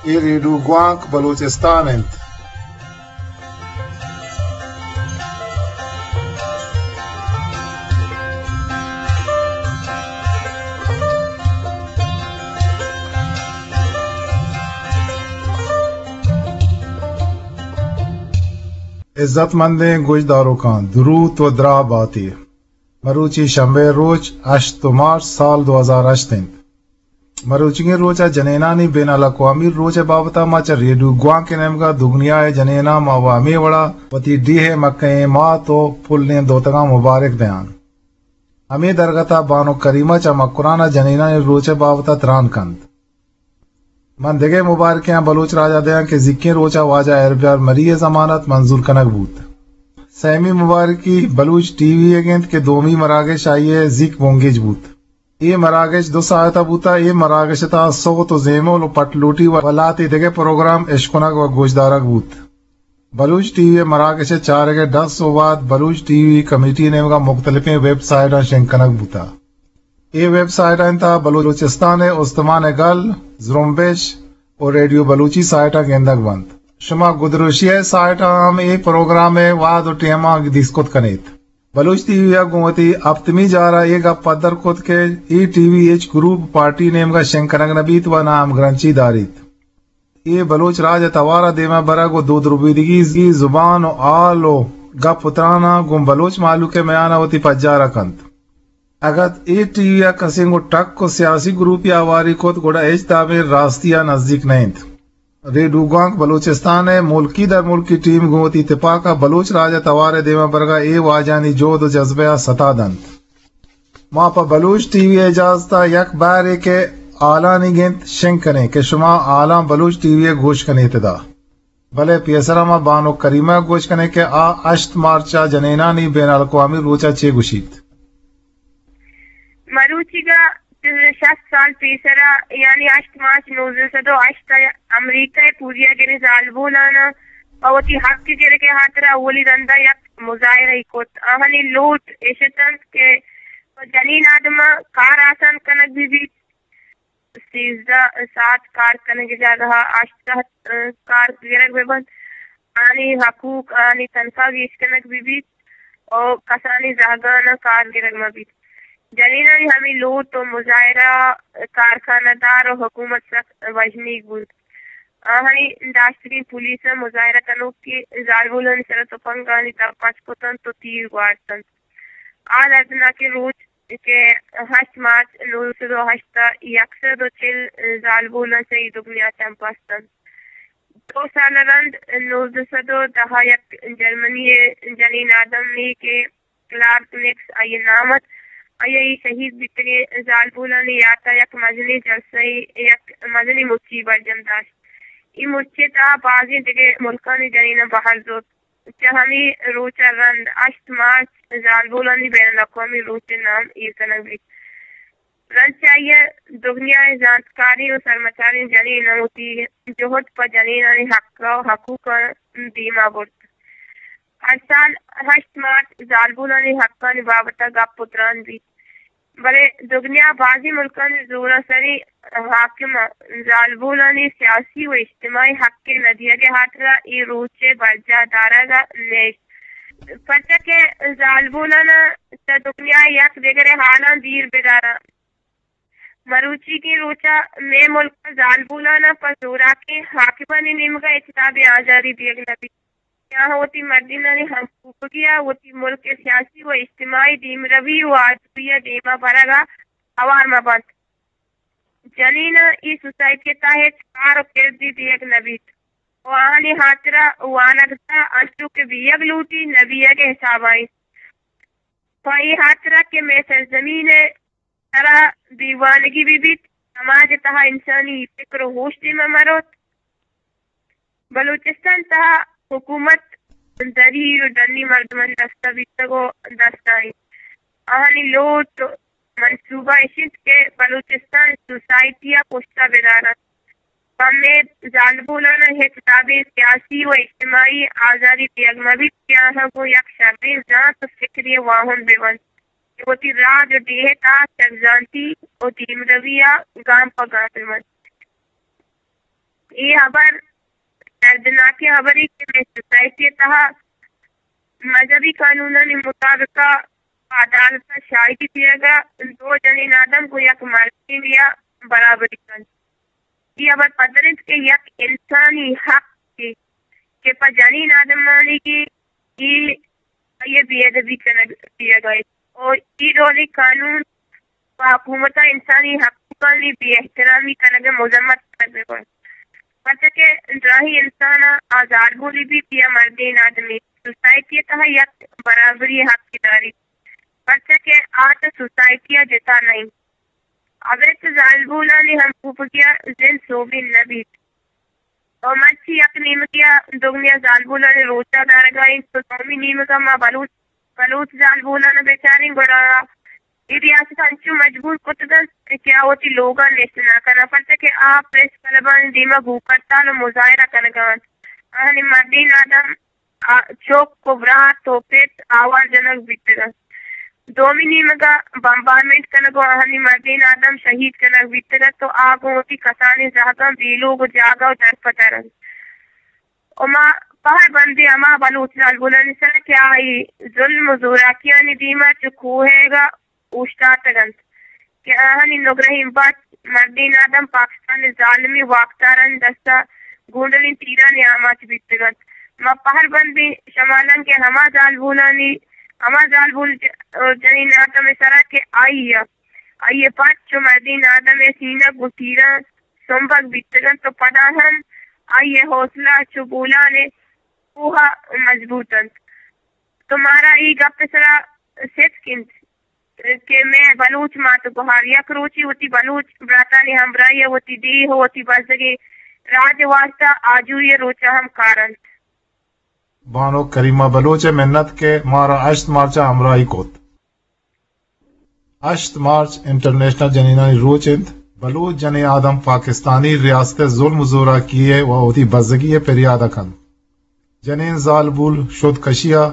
اے ریڈیو گوانک بلوچستان انت۔ عزت مندیں گوشداروکاں، دروت و دراہ باتے۔ مروچی شنبے روچ، ہشت مارچ سال دو ہزار ہشت انت۔ مروچیگیں روچ ء جنینانی بین الاقوامی روچ ء بابت ء ما چہ ریڈیو گوانک ء نیمگ ء دگنیا ء جنیناں ما و ہمے وڑا وتی ڈیھ ء مکہیں مات و پلیں دوتگاں مبارک دیان۔ ہمے درگت ء بانک کریمہ چہ مکران ء جنینانی روچ ء بابت ء تران کنت۔ من دگہ مبارکیاں بلوچ راج ء دیاں کہ زیکیں روچ ء واجہ ہیربیار مری ء ضمانت منظور کنگ بوت۔ سیمی مبارکی بلوچ ٹی وی ء گنت کہ دومی مراگش آئی ء زیک بنگیج بوت۔ اے مراگش دو ساعت ء بوت ء اے مراگش ء تہا سوت و زیمل و پٹ لوٹی و لہتے دگہ پروگرام اشکنگ و گوشدارگ بوت۔ بلوچ ٹی وی ء مراگش ء چارگ ء ڈس و وہد بلوچ ٹی وی کمیٹی ء نیمگ ء مختلفیں ویب سائٹاں شنگ کنگ بوت۔ اے ویب سائٹانی تہا بلوچستان ء استمان ء گل، زرمبش و ریڈیو بلوچی سائٹاں گندگ بنت۔ شما گدروشی ء سائٹاں ہم اے پروگرام ء وہد و ٹیماں دیست کت کنیت۔ بلوچ ٹی وی ء گوں وتی ہپتمی جار ء اے گپ پدر کت کہ اے ٹی وی ہچ گروپ پارٹی نیمگ ء شنگ کنگ نہ بیت و نہ ہمگرنچی داریت۔ اے بلوچ راج ء توار ء دیم ء برگ و دود ربیدگی زبان و ہال و گپ و تراناں گوں بلوچ مہلوک ء میان ء وتی پجار ء کنت۔ اگت اے ٹی وی ء کسیں گوں ٹک و سیاسی گروپے ء ہواری کت، گڑا ہچ دابیں راستی ء نزیک نہ انت۔ ریڈیو گوانک بلوچستان ء ملکی درملکی ٹیم گوں وتی تپاک ء بلوچ راج ء توار ء دیم ء برگ ء اے واجہانی جہد و جذبہ ء ستا دنت۔ ما پہ بلوچ ٹی وی ء اجازت ء یک بہرے کہ ہالانی گنت شنگ کنیں کہ شما ہالاں بلوچ ٹی وی ء گوش کنیت ادا۔ بلے پیسرا ما بانک کریمہ ء گوش کنیں کہ آ ہشت مارچ ء جنینانی بین الاقوامی روچ ء چے گوشیت۔ مروچیگا شست سال پیسرا، یعنی ہشت مارچ نوزدہ سد و ہشت ء امریکہ ء پوریاگریں زالبولان ء پہ وتی حق گرگ ء ہاترا اولی رندا یک مظاہرہ ای کت۔ آہانی لوٹ اش اتنت کہ جنین آدماں کار آسان کنگ بہ بیت، سیزدہ ساعت کار کنگ ء جاگہ ء ہشت ساعت، ء، کار گرگ بہ بنت، آنی حقوق، آنی تنخواہ گیش کنگ بہ بیت و کسانی زہگاناں کار گرگ مہ بیت۔ جنینانی ہمے لوٹ و مظاہرہ ء کارخانہ دار و حکومت سک وژنیگ بوت۔ آہانی داشتگیں پولیس ء مظاہرہ کنوکیں زالبولانی سر ء تپنگانی دپ پچ کتنت و تیر گوارتنت۔ آ دردناکیں روچ کہ ہشت مارچ نوزدہ سد و ہشت ء یک سد و چل زالبولاں چہ اے دگنیا چمپستنت۔ دو سال ء رند نوزدہ سد و دہ ء یک جرمنی ء جنین آدمے کہ کلارک نیکس آئی ء نام ات، آئی ء اے شہید بیتگیں زالبولانی یات ء یک مزنیں جلسہ ء یک مزنیں مچی برجم داشت۔ اے مچی ء تہا بازیں دگہ ملکانی جنیناں بہر زرت۔ چہ ہمے روچ ء رند ہشت مارچ زالبولانی بین الاقوامی روچ ء نام ایر کنگ بیت۔ رند چہ آئی ء دگنیا ء زانتکاریں و سرمچاریں جنیناں وتی جہد پہ جنینانی حق ء حقوقاں دیما برت۔ ہر سال ہشت مارچ زالبولانی حقانی بابت ء گپ و تران بیت۔ بلے دگنیا ء بازیں ملکانی زورانسری حاکماں زالبولانی سیاسی و اجتماعی حق ء نہ دیگ ء ہاترا اے روچ ء برجاہ دارگ ء نیست۔ پرچا کہ زالبولان ء چہ دگنیا ء یک دگرے ہالاں دیر بداراں۔ مروچیگیں روچ ء مئے ملک ء زالبولان ء پہ زوراکیں حاکمانی نیمگ ء ہچ دابیں آزاری دیگ نہ بیت۔ کہ آہاں وتی مردینانی ہمکوپگی ء وتی ملک ء سیاسی و اجتماعی دیمروی و آجوئی ء دیما برگ ء ہوار مہ بنت۔ جنین ء اے سوسائٹی ء تہا ہچ کار و کردے دیگ نہ بیت و آہانی ہاترا وانگ تہا انچو کہ بیگ لوٹی نہ بیگ ء حساب ء انت۔ پہ اے ہاترا کہ مئے سرزمین ء سرا دیوانگی بہ بیت، سماج ء تہا انسانی فکر و ہوش دیما مروت۔ بلوچستان تہا حکومت دری و ڈنی مردمانی دستا بیتگ و دستا انت۔ آہانی لوٹ و منصوبہ اش انت کہ بلوچستان سوسائٹی ء پشتا بدارنت۔ پہ مئے زالبولان ء ہچ دابیں سیاسی و اجتماعی آزاری دیگ مہ بیت کہ آہاں گوں یک شریں زانت و فکرے ء واہند بہ بنت کہ وتی راج و ڈیھ ء تہا چکزانتی و دیمروی ء گام پہ گام بہ بنت۔ اے ہبر دردناکیں ہبرے کہ مئے سوسائٹی ءِ تہا مذہبی قانونانی مطابق ءَ عدالت ءَ شاہدی دیگ ءَ دو جنین آدم گوں یک مردینے ءَ برابری کنت۔ اے ہبر پدر انت کہ یک انسانی حق کہ پہ جنین آدمانی کہ اے آئی ءِ بے ادبی کنگ بیگ ءَ انت۔ اور اے ڈولیں قانون پہ حکومت ءَ انسانی حقوقانی بے احترامی کنگ ءِ مذمت کنگ ءَ انت۔ پرچا کہ دراہیں انسان ءَ آ زالبولے بیت یا مردین آدمی، سوسائٹی ءِ تہا یک برابری ءِ حق داریت، پرچا کہ آ چہ سوسائٹی ءَ جتا نہ انت۔ ابید زالبولانی ہمکوپگی ءَ زند سوبین نہ بیت۔ و مرچی یک نیمگے ءَ دگنیا زالبولانی روچ ءَ دارگ ءَ انت، تو دومی نیمگ ءَ ما بلوچ، بلوچ زالبولان ءَ بچاریں، گڑا اے ریاست انچو مجبور کتگ انت کہ آ وتی لوگاں نشت نہ کناں، پرچا کہ آ پریس کلبانی دیم ءَ بھوک ہڑتال و مظاہرہ کنگ ءَ انت۔ آہانی مردین آدم آ، چک و برات و پت آوار جنگ بیتگ انت۔ دومی نیمگ ءَ بمبارمنٹ کنگ و آہانی مردین آدم شہید کنگ بیتگ انت و آ گوں وتی کسانیں زہگاں بے لوگ و جاگہ و درپدر انت۔ و ما پہر بندیں ہما بلوچ زالبولانی سر ءَ کہ آ اے ظلم و زوراکیانی دیم ءَ چو کوہیگ ءَ اوشتاتگ انت کہ آہانی نگرہیں بچ مردین آدم پاکستان ءِ ظالمیں واکدارانی دست ءَ گونڈلیں تیرانی آماچ بیتگ انت۔ ما پہر بندیں شمالانک ءِ ہما زالبولانی، ہما زالبول ج-، جنین آدم ءِ سرا کہ آئی ءَ، آئی ءِ پت چو مردین آدم ءِ سینگ گوں تیراں سمبگ بیتگ انت و پدا ہم آئی ءِ حوصلہ چو بولان ءِ کوہ ءَ مضبوط انت۔ تو مارا اے گپ ءِ سرا ستک انت کہ مئے بلوچ مات ءُ گہار یک روچے وتی بلوچ براتانی ہمراہی ءَ وتی ڈیھ ءُ وتی بزگیں راج ءِ واستہ آجوئی ءِ روچ ءَ ہم کار انت۔ بانک کریمہ بلوچ ءِ منت کہ مارا ہشت مارچ ءَ ہمراہی کت۔ ہشت مارچ انٹرنیشنل جنینانی روچ انت۔ بلوچ جنین آدم پاکستانی ریاست ءِ ظلم ءُ زوراکی ءَ و وتی بزگی ءِ پریاد ءَ کنت۔ جنین زالبول شد کشی ءَ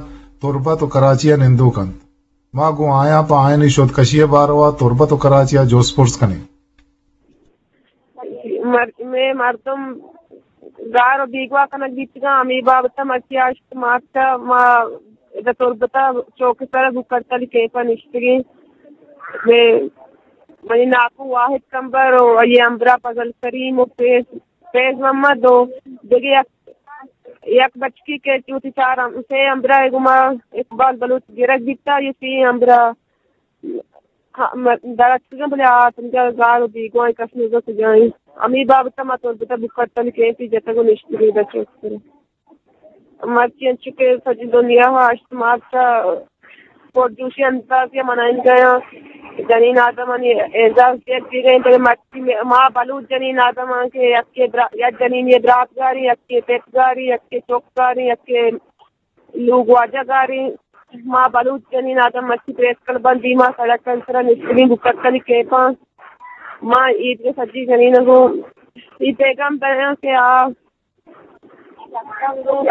تربت ءُ کراچی ءَ نندوک انت۔ ما گوں آیاں پہ آیانی شد کشی ءِ باروا تربت ءُ کراچی ءَ جست پرس کنیں۔ مر-، مئے مردم گار ءُ بیگواہ کنگ بیتگاں، ہمے بابت ءَ مرچی ہشت مارچ ءَ ما ادا تربت ءَ چوک ءِ سر ءَ بھوک ہڑتالی کیمپ ءَ نشتگیں۔ مئے، منی ناکو واحد کمبر ءُ آئی ءِ ہمبراہ فضل کریم ءُ فیض، فیض محمد ءُ دگہ یک، یک بچکی کہ وتی چار ہم-، سے ہمبراہ ءَ گوما اقبال بلوچ گرگ بیتا، یہ سی ہمبراہ ہاں، م-، در اتکگاں، بلے آ تنیگا گار ءُ بیگواہیں، کس نیزا کجا انت۔ ہمے بابت ءَ ما تربت ءَ بھوک ہڑتالی کیمپے جتگ ءُ نشتگیں ادا چوک ءِ سر ءَ۔ مرچی انچو کہ سجی دنیا ءَ ہشت مارچ ءَ پرجوشی اندازے ءَ منائینگ ءَ آں، جنین آدمانی اعزاز دیگ بیگ ءَ انت، بلے مرچی ما بلوچ جنین آدم آں کہ یکے برا-، یک جنینے برات گاریں، یکے پت گاریں، یکے چک گاریں، یکے لوگ واجہ گاریں۔ ما بلوچ جنین آدم مرچی پریس کلبانی دیما سڑک ءِ سرا نشتگیں، بھوک ہڑتالی کیمپ ءَ آں۔ ما اے دگہ سجی جنین ءَ گوں اے پیغام دیاں کہ آ،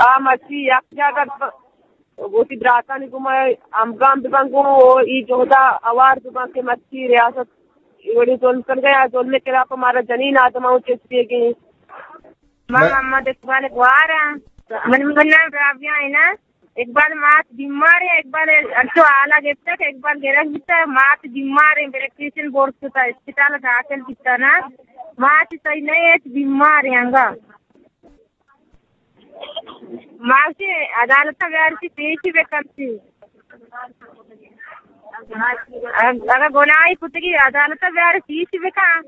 آ مرچی یک جاگہ ب-، وتی براتانی گوما ہمگام بباں گوں ءُ اے جہد ءَ ہوار بباں کہ مرچی ریاست اے وڑیں ظلم کنگ ءَ، آ ظلم ءِ خلاف ءَ مارا جنین آدماں چست بیگ ءَ انت۔ ما محمد اقبال ءِ گوار آں۔ من، من نام رابعہ انت۔ اقبال مات بیمار انت، اقبال انچو حالا گپتہ کہ اقبال گرگ بیتہ، مات بیمار انت، بلڈ پریشر برز کتہ، اسپتال ءَ داخل بیتہ نا۔ مات صحیح نہ انت، بیمار انت انگا۔ ما گوشی عدالت ءَ بیارتی، پیشی بکنتی۔ اگہ گناہی کتگی عدالت ءَ بیارتی، پیشی بکن۔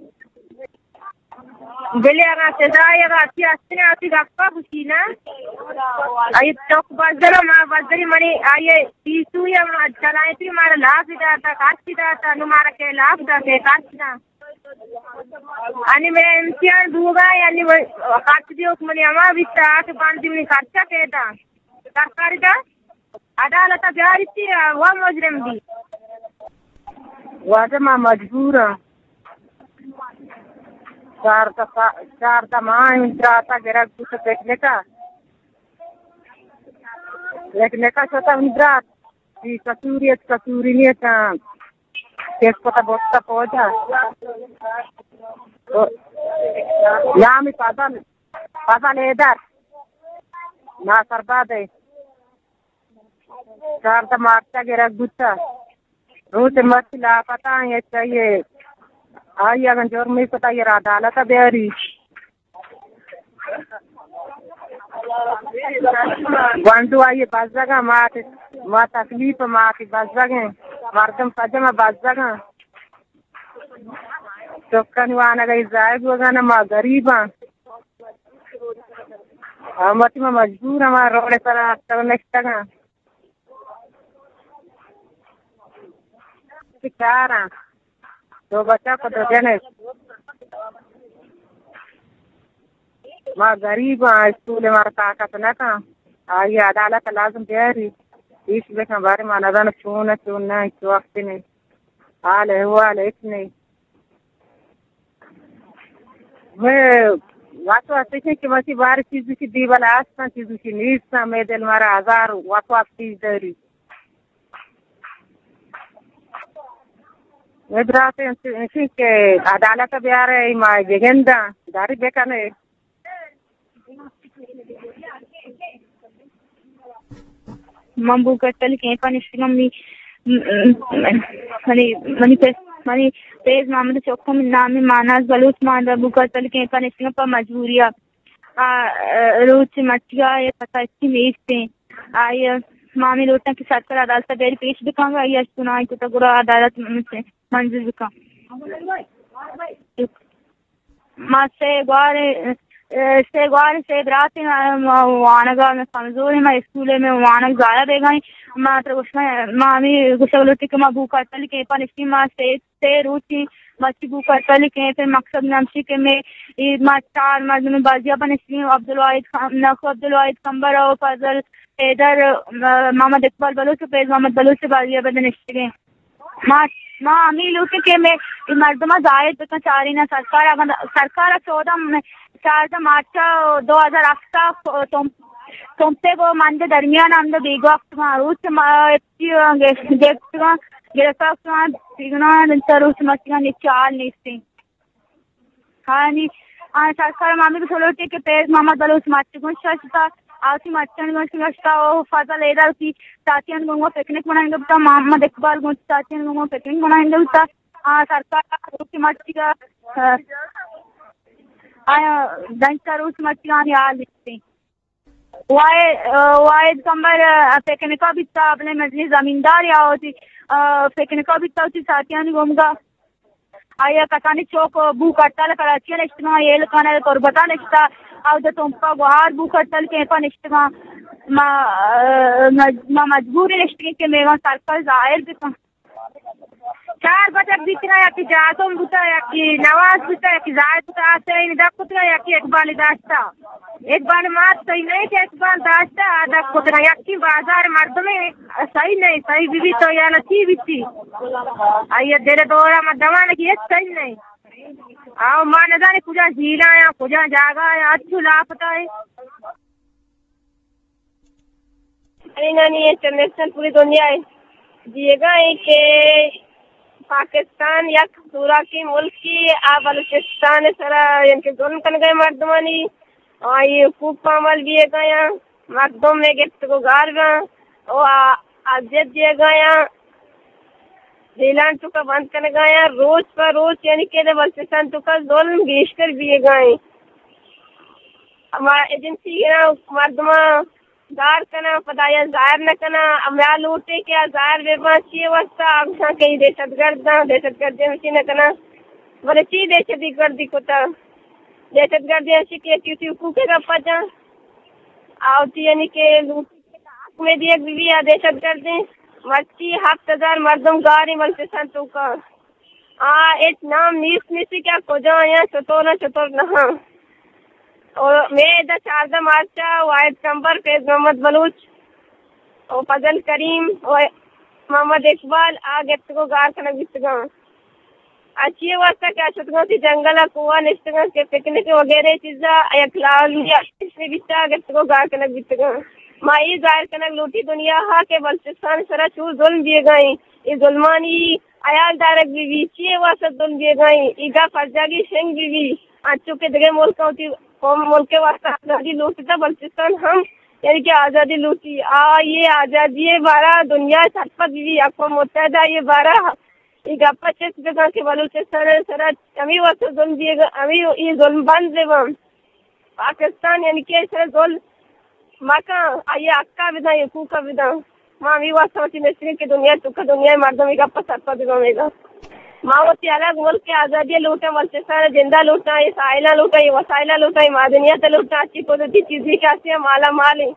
بلے اگاں سزا ءَ اگاں اسی ہستیں، اسی گپا گوشی نا۔ اے چک بزر ءَ ما بزری منی آئی ءَ پیسو ءَ ما چلائیں تھی، مارا لاف داتا، خرچ داتا، نو مارا کہ لاف داتے، خرچ دا۔ انی میں امتحان دوگا، یعنی میں خرچ دیوک منی ہما بیتا کہ پانچ منی خرچہ پیدا۔ سرکاری دا۔ عدالت ءَ بیاریتی، وا مجرم بی۔ واجہ ما مجبور آں۔ چاردہ سا-، چاردہ ماہ انت براتا گرگ بوت پکنک ءَ۔ پکنک ءَ شتہ منی برات۔ بی قصوری ات، قصوری نیت، کیس کتا بوتا پوجا۔ لامی پادل۔ فضل حیدر، ناصر باد ء چاردہ مارچ ء گرگ بوتہ۔ روچ مرچی لاپتہ ایں، چاہیے آئی اگن جرمی کتا، آئی را عدالت ء بیاری۔ گونڈو آئی بزگاں، ما، ما تکلیف، ما کہ بزگیں مردم، سجم بزگاں۔ چکانی وانگ ء ضائع بوگاں، ما غریباں۔ ہم وتی ما مجبور ہم روڈ سر اتکگ نشتگاں۔ چاراں دو بچک و دو جنک۔ ما غریب آں، اسکول مارا طاقت نہ کن۔ آئی عدالت لازم بیاری۔ پیش بکن، بارے ما نزانو چون، چون نہ، چو وقت نہیں۔ حال احوال ہچ نہیں۔ میں واسو اسے کہ مسی بار چیزی کی دیوال آستان، چیزی کی نیستان، میں دل مارا ہزار واسو چیز داری۔ ابراہیم انشی کہ عدالت بیارے، ما بگنداں، داری بکنے۔ من بوک اتل کیمپ ء نشتگم، منی، منی، منی پس، منی پیز محمد چوکو، منی نام ماناز بلوچ، ما بوک اتل کیمپ ء نشتگم پہ مجبوری ء۔ آ، روچ مرچی ء یک پتہ اچی نیست ایں۔ آئی ء ما ہمے لوٹاں کہ سرکار عدالت ء بیاری پیش بکن، آئی ء چنائیں کتگ گڑا عدالت من-، منظور بکن۔ ما سے گوار، اے، سے گوار، سے برات ایں، ما وانگ ء میں کمزور ایں، ما اسکول ء میں وانگ ضائع بیگا ایں۔ ما تر گوشگ، ما ہمے گوشگ لوٹی کہ ما بوک اتل کیمپ ء نشتیں، ما سے سے روچی مرچی بوک اتل کیمپ ء مقصد ہمشی کہ میں اے ما چار مردم بازیاب نشتگیں، عبدالواحد خان، نخو عبدالواحد کمبر و فضل حیدر، م-، محمد اقبال بلوچ و فیض محمد بلوچ بازیاب نشتگیں۔ ما، ما ہمے لوٹیں کہ میں اے مردم ظاہر بکن، چارین سرکار، اگاں سرکار چودہ م-، چاردہ مارچ دو ہزار ہفت ء تم، تمپے گو مند درمیان ہم بیگواہ کتگاں۔ روچ ما گپتگاں، گرفتار کتگاں، سیگنان انت، روچ مرچیگاں نیچ حال نیستیں۔ ہانی، آ، سرکار مامی کو سلوٹی کہ پیز محمد بلوچ مرچی گون ششتا، آسی مرچن گون ششتا، او فضل ایدر کی ساتیان گون پکنک منائیں گپتا، محمد اقبال گون ساتیان گون پکنک منائیں گپتا۔ آ، سرکار روچ مرچیگا، آ، آیا دنچا روچ مرچیگانی حال نیستیں۔ واحد، واحد کمبر، آ، پکنک ء بیتا، بلے مزنی زمیندار یا وتی، آ، پکنک ء بیتا وتی ساتیانی گومگا۔ آیا کسانی چوک بوک ہڑتال کراچی ء نشتگاں، ایل خان ء تربت ء نشتا، اودا تمپا گوہار بوک ہڑتال کیمپ ء نشتگاں۔ ما، آ، مج-، ما مجبور نشتگیں کہ میوان سرکار ظاہر بکن۔ چار بچک بیتگاں، یکی جاسم بوتا، یکی نواز بوتا، یکی زاہد بوتا، آ سئیں دپ کتگاں، یکی اقبال داشتا۔ اقبال مات صحیح نہیں کہ اقبال داشتا، آ دپ کتگاں۔ یکی بازار مردمے صحیح نہیں، صحیح بی بی تو یانا چی بیتی؟ آئی دل دورا ما دوان کی ہچ صحیح نہیں۔ آو ما نزانے کجا جیلا یا کجا جاگا یا اچھو لاپتا ہے۔ اینانی انٹرنیشنل پوری دنیا ء دیگا ایں کہ پاکستان یک سوراکی ملکی آ بلوچستان ء سرا یعنی کہ ظلم کنگا ایں مردمانی، آئی حقوق پامال بیگا ایں، مردم میں گپتگو گار باں، او آ، اذیت دیگا ایں، جیلان توکا بند کنگا ایں، روچ پہ روچ یعنی کہ بلوچستان توکا ظلم گیشتر بیگا ایں۔ ہما ایجنسی ء مردماں گار کناں، پدا آیاں ظاہر نہ کناں، ہمے لوٹے کہ آ ظاہر بہ باں، چی واسطہ؟ آ گوشاں کہ اے دہشت گرد آں، دہشت گردی ہمشی نہ کناں۔ بلے چی دہشت گردی کتا؟ دہشت گردی ہمشی کہ یکی وتی حقوق ء گپا جاں، آ وتی یعنی کہ لوٹے کہ حق میں دیگ بی بی آ دہشت گردیں۔ مرچی ہفت ہزار مردم گاریں بلوچستان توکا۔ آ ہچ نام نیست نیستی کہ آ کجا آیاں، چطور آں، چطور نہ آں۔ اور مئے ادا چاردہ مارچ ء واحد کمبر فیض محمد بلوچ و فضل کریم و محمد اقبال آ گپتگو گار کنگ بیتگاں۔ آ چی واسطہ کہ آ شتگاں تی جنگل ء کوہ ء نشتگاں کہ پکنک وغیرہ چیزا یک لاول یا بیتا گپتگو گار کنگ بیتگاں۔ ما اے ظاہر کنگ لوٹی دنیا ء کہ بلوچستان سرا چو ظلم بیگا ایں۔ اے ظلمانی ہیال دارگ بہ بی، چی ء واسطہ ظلم بیگا ایں، اے گپ ہر جاگہ شنگ بہ بی، انچو کہ دگہ ملک ء وتی قوم ملک ءِ واسطہ آزادی لوٹتا، بلوچستان ہم یعنی کہ آزادی لوٹی۔ آ، یہ آزادی ءِ بارہ دنیا سرپد بی، اقوام متحدہ یہ بارہ یہ گپا چست بکن کہ بلوچستان ءِ سرا ہمے واسطہ ظلم دیگا، ہمے یہ ظلم بند ببن۔ پاکستان یعنی کہ سر ظلم مکن، آئی ءِ حقا بدن، حقوقا بدن۔ ما ہمے واسطہ وتی نشتگیں کہ دنیا ءِ توکا دنیا ءِ مردم اے گپا سرپد ببن۔ ما وتی الگ ملک ءِ آزادی لوٹاں، بلوچستان ءِ جندا لوٹاں، اے ساحلاں لوٹاں، اے وسائلاں لوٹاں، اے معدنیات لوٹاں، اچھی قدرتی چیزیں کہ ہستیں مالا مال ایں۔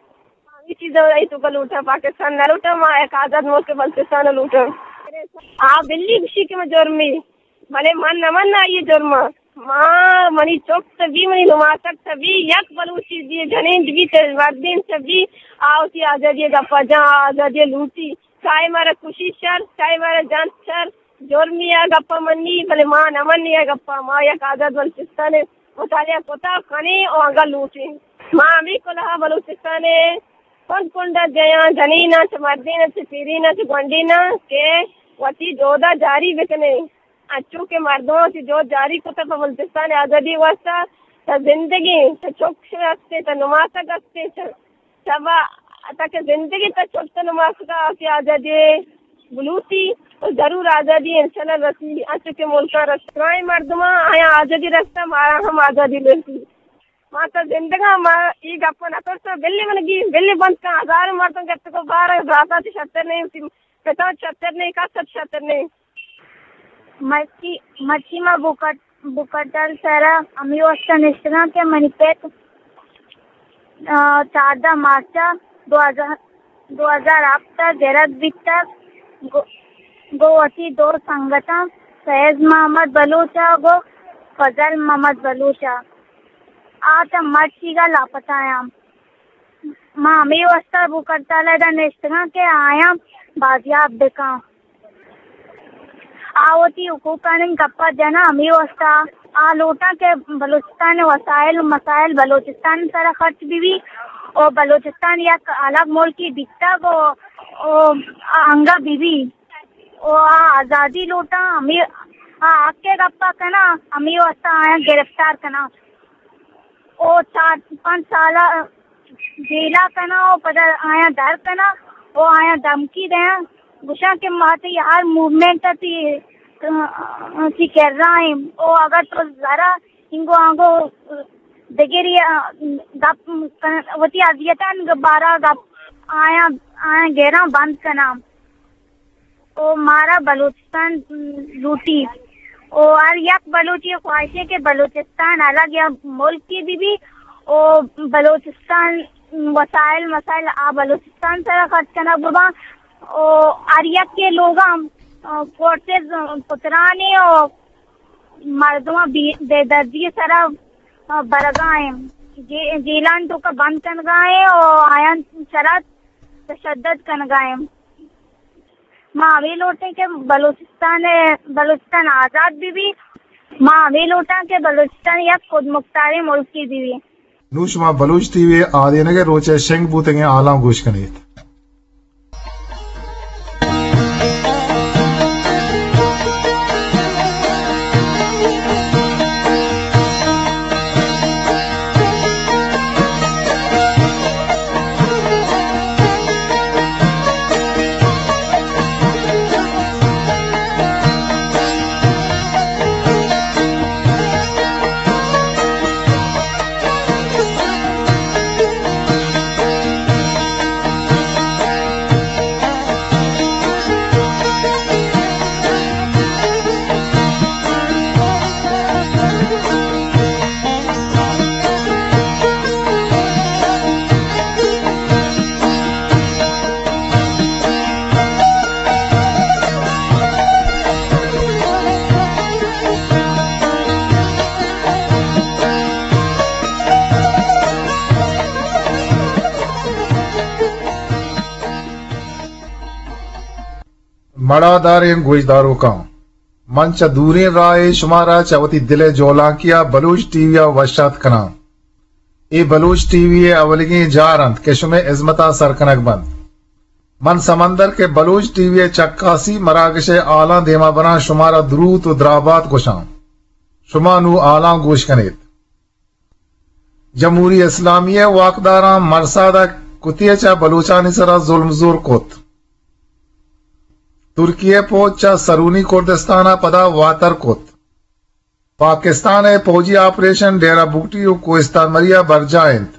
ہمے چیز ءَ اے توکا لوٹاں، پاکستان نہ لوٹاں، ما یک آزاد ملک بلوچستان لوٹاں۔ آ بلی گوشی کہ من جرمی، بلے من نہ من آئی جرم۔ ما، منی چک تبی، منی نماسگ تبی، یک بلوچی بی، جنین بی، مردین تبی، آ وتی آزادی گپا جاں، آزادی لوٹی۔ چاہے مارا کشی شر، چاہے مارا جان شر، جرمی آ گپا منی، بلے ما نہ منی آ گپا۔ ما یک آزاد بلوچستان مطالعہ کتا کنیں و انگا لوٹیں۔ ما ہمے کلہا بلوچستان ءِ کنڈ کنڈا جیاں، جنیناں چہ مردیناں چہ پیریناں چہ گونڈیناں کہ وتی جہدا جاری بکنیں۔ انچو کہ مردماں وتی جہد جاری کتا پہ بلوچستان ءِ آزادی ءِ واسطہ، تا زندگیں، تا چک ہستیں، تا نماسگ ہستیں، تا شبا تاکہ زندگی تا چک تا نماسگا آسی آزادی بلوٹی و ضرور آزادی انشاءاللہ رسی، انچو کہ ملکاں رست۔ درائیں مردماں آیاں آزادی رستہ، مارا ہم آزادی رسی۔ ما تا زندگاں، ما ای گپا نہ کرتا، بلی من گی، بلی بند کن، ہزار مردم گپت کو بار، براتاں چہ شتر نہیں، پتاں چہ شتر نہیں، کس چہ شتر نہیں۔ مرچی، مرچی ما بوکٹ، بوکٹل سرا ہمے واسطہ نشتگاں کہ منی پت، آ، چاردہ مارچ ءَ دو ہزار، دو ہزار ہپت ءَ گرگ بیتگ، گو، گو وتی دو سنگتاں فیض محمد بلوچ ءَ گو فضل محمد بلوچ ءَ۔ آ تا مرچیگا لاپتہ آں۔ ما ہمے واسطہ بوکٹل ءَ ادا نشتگاں کہ آیاں بازیاب بکاں۔ آ وتی حقوقانی گپا جناں، ہمے واسطہ آ لوٹاں کہ بلوچستان ءِ وسائل و مسائل بلوچستان ءِ سرا خرچ بہ بی و بلوچستان یک الگ ملکے بیتگ و، و آ انگا بہ بی و آ آزادی لوٹاں، ہمے آ حق ءِ گپا کناں، ہمے واسطہ آیاں گرفتار کناں۔ او چار پنچ سالا جیلا کناں او پدا آیاں در کناں او آیاں دھمکی دیاں، گوشاں کہ ما تئی ہر موومنٹ ءَ تئی، تئی کرا ایں او اگر تو ذرا اینگو آنگو دگری گپ کن، وتی اذیتانی بارا گپ آیاں، آیاں گراں بند کناں۔ او مارا بلوچستان لوٹی۔ او ہر یک بلوچی خواہشے کہ بلوچستان الگ یا ملکی بہ بی۔ او بلوچستان وسائل مسائل آ بلوچستان سرا خرچ کنگ بباں۔ او ہر یک کے لوگاں، آ، فورسز پترانی او مردماں بے، بے دردی سرا، آ، برگا ایں۔ جے، جیلان توکا بند کنگا ایں او آیان سرا تشدد کنگا ایں۔ ما ہمے لوٹیں کہ بلوچستان، بلوچستان آزاد بہ بی۔ ما ہمے لوٹاں کہ بلوچستان یک خودمختاریں ملکے بہ بی۔ نوں شما بلوچ ٹی وی ءِ آدینگ ءِ روچ ءِ شنگ بوتگیں ہالاں گوش کن ایت۔ مڑاداریں گوشداروکاں، من چہ دوریں راہ ءَ شمارا چہ وتی دل ءِ جولانکی ءَ بلوچ ٹی وی ءَ وش آتک کناں۔ اے بلوچ ٹی وی ءِ اولیگیں جار انت کہ شمئے ہزمت ءَ سر کنگ بنت۔ من سمندر کہ بلوچ ٹی وی ءِ چکاسی مراگش ءِ ہالاں دیما براں شمارا دروت و درابات گوشاں۔ شما نوں ہالاں گوش کن ایت۔ جمہوری اسلامی ءِ واکداراں مرساد ءِ کتیچ ءَ بلوچانی سرا ظلم زور کت۔ ترکی ءِ پوج چہ سرونی کردستان ءَ پدا واتر کت۔ پاکستان ءِ پوجی آپریشن ڈیرہ بگٹی و کوہستان مری ءَ برجاہ انت۔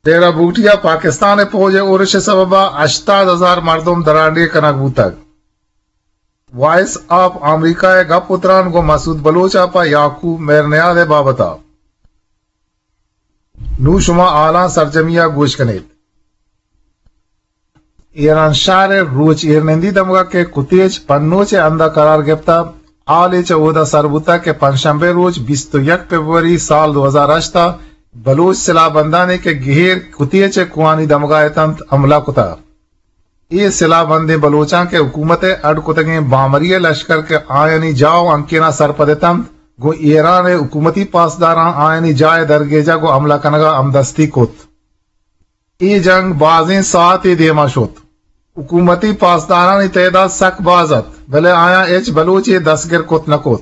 ڈیرہ بگٹی ءَ پاکستان ءِ پوج ءِ اورش ءِ سبب ءَ ہشتاد ہزار مردم درانڈیھ کنگ بوتگ۔ وائس آف امریکہ ءِ گپ و تران گوں مسعود بلوچ ءَ پہ یعقوب مہرنیاز ءِ بابت ءَ۔ نوں شما حالاں سرجمی ءَ گوش کن ات۔ ایران شہر ءِ روچ ایرنندی دمگ ءَ کہ کتیچ پنوچ ءِ ہند ءَ قرار گپتہ، حالے چہ اودا سر بوتگ کہ پنچشنبے روچ بیست و یک فبروری سال دو ہزار ہشت ءَ بلوچ سلاہ بندانی کہ گہیر کتیچ ءِ کوہانی دمگ ءَ اتنت، حملہ کتہ۔ اے سلاہ بندیں بلوچاں کہ حکومت ءِ اڈ کتگیں بامری ءِ لشکر کہ آیانی جاہ و ہنکیناں سرپد اتنت، گوں ایران ءِ حکومتی پاسداراں آیانی جاہ ءِ درگیجگ و حملہ کنگ ءَ ہمدستی کت۔ اے جنگ بازیں ساعتے دیما شت۔ حکومتی پاسدارانی تعداد سک باز ات، بلے آیاں ہچ بلوچے دستگر کت نہ کت۔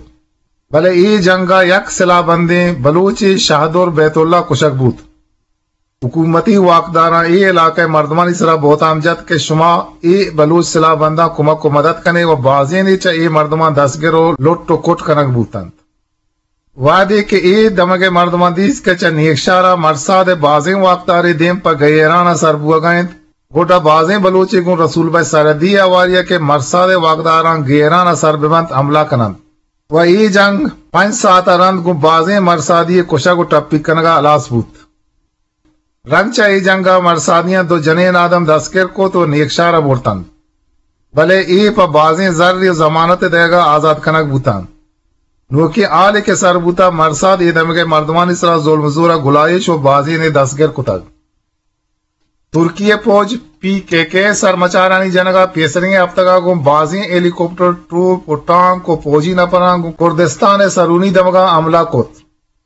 بلے اے جنگ ءَ یک سلاہ بندیں بلوچے شہدر بیت اللہ کشگ بوت۔ حکومتی واکداراں اے علاقہ ءِ مردمانی سرا بہتام جت کہ شما اے بلوچ سلاہ بنداں کمک و مدد کن ئے و بازینے چہ اے مردماں دستگر و لٹ و کٹ کنگ بوتنت۔ وہدے کہ اے دمگ ءِ مردماں دیست کہ چہ نیکشار ءَ مرساد ءِ بازیں واکدارے دیم پہ گہیران ءَ سر بوہگ ءَ انت، گڈا بازیں بلوچے گوں رسول بخش سرحدی ءِ ہواری ءَ کہ مرساد ءِ واکداراں گہیران ءَ سر بہ بنت، حملہ کن انت و اے جنگ پنچ ساعت ءَ رند گوں بازیں مرسادی ءِ کشگ و ٹپی کنگ ءَ ہلاس بوت۔ رند چہ اے جنگ ءَ مرسادیاں دو جنین آدم دستگر کت و نیکشار ءَ برتنت، بلے اے پہ بازیں زر و ضمانت ءِ دئیگ ءَ آزات کنگ بوتنت۔ نوکیں حالے کہ سر بوتہ، مرساد اے دمگ ءِ مردمانی سرا ظلم و زور ءَ گلائیش و بازینے دستگر کتگ۔ ترکی ءِ پوج پی کے کے ءِ سرمچارانی جنگ ءَ پیسریگیں ہفتگ ءَ گوں بازیں ہیلی کاپٹر، ٹوپ و ٹانک و پوجی نپراں گوں کردستان ءِ سرونی دمگاں حملہ کت۔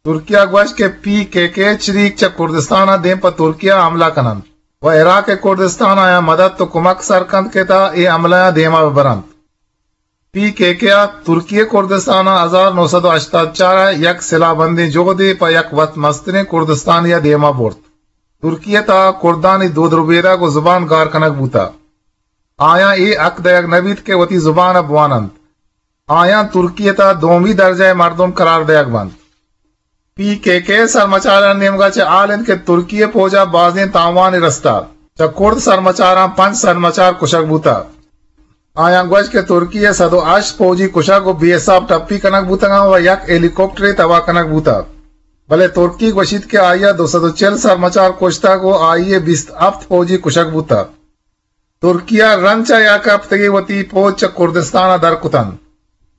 ترکیہ گوشت کہ پی کے کے ءِ چریک چہ کردستان ءَ دیم پہ ترکیہ حملہ کن انت و عراق ءِ کردستان آیاں مدد و کمک سر کنت کہ تا اے حملہ ءَ دیما بہ برنت۔ پی کے کے ءَ ترکی ءِ کردستان ءَ ہزار نو سد و ہشتاد چار ءَ یک سلاہ بندیں جہدے پہ یک وت مستریں کردستانے ءَ دیما برت۔ ترکی ءِ تہا کردانی دود ربیدگ و زبان گار کنگ بوتہ۔ آیاں اے حق دئیگ نہ بیت کہ وتی زبان ءَ بوان انت۔ آیاں ترکی ءِ تہا دومی درجہ ءِ مردم قرار دئیگ بنت۔ پی کے کے ءِ سرمچاراں نیمگا چہ حال انت کہ ترکی ءِ پوجا بازیں تاوانے رستہ۔ چہ کرد سرمچاراں پنچ سرمچار کشگ بوتہ۔ آیاں گوشت کہ ترکی ءِ سد و ہشت پوجی کشگ و بے حساب ٹپی کنگ بوتگاں و یک ہیلی کاپٹرے تباہ کنگ بوتہ۔ بلے ترکی گوشیت کہ آئی ءَ دو سد و چل سرمچار کشتگ و آئی ءِ بیست ہپت پوجی کشگ بوتہ۔ ترکیہ رند چہ یک ہپتگے وتی پوج چہ کردستان ءَ در کتنت،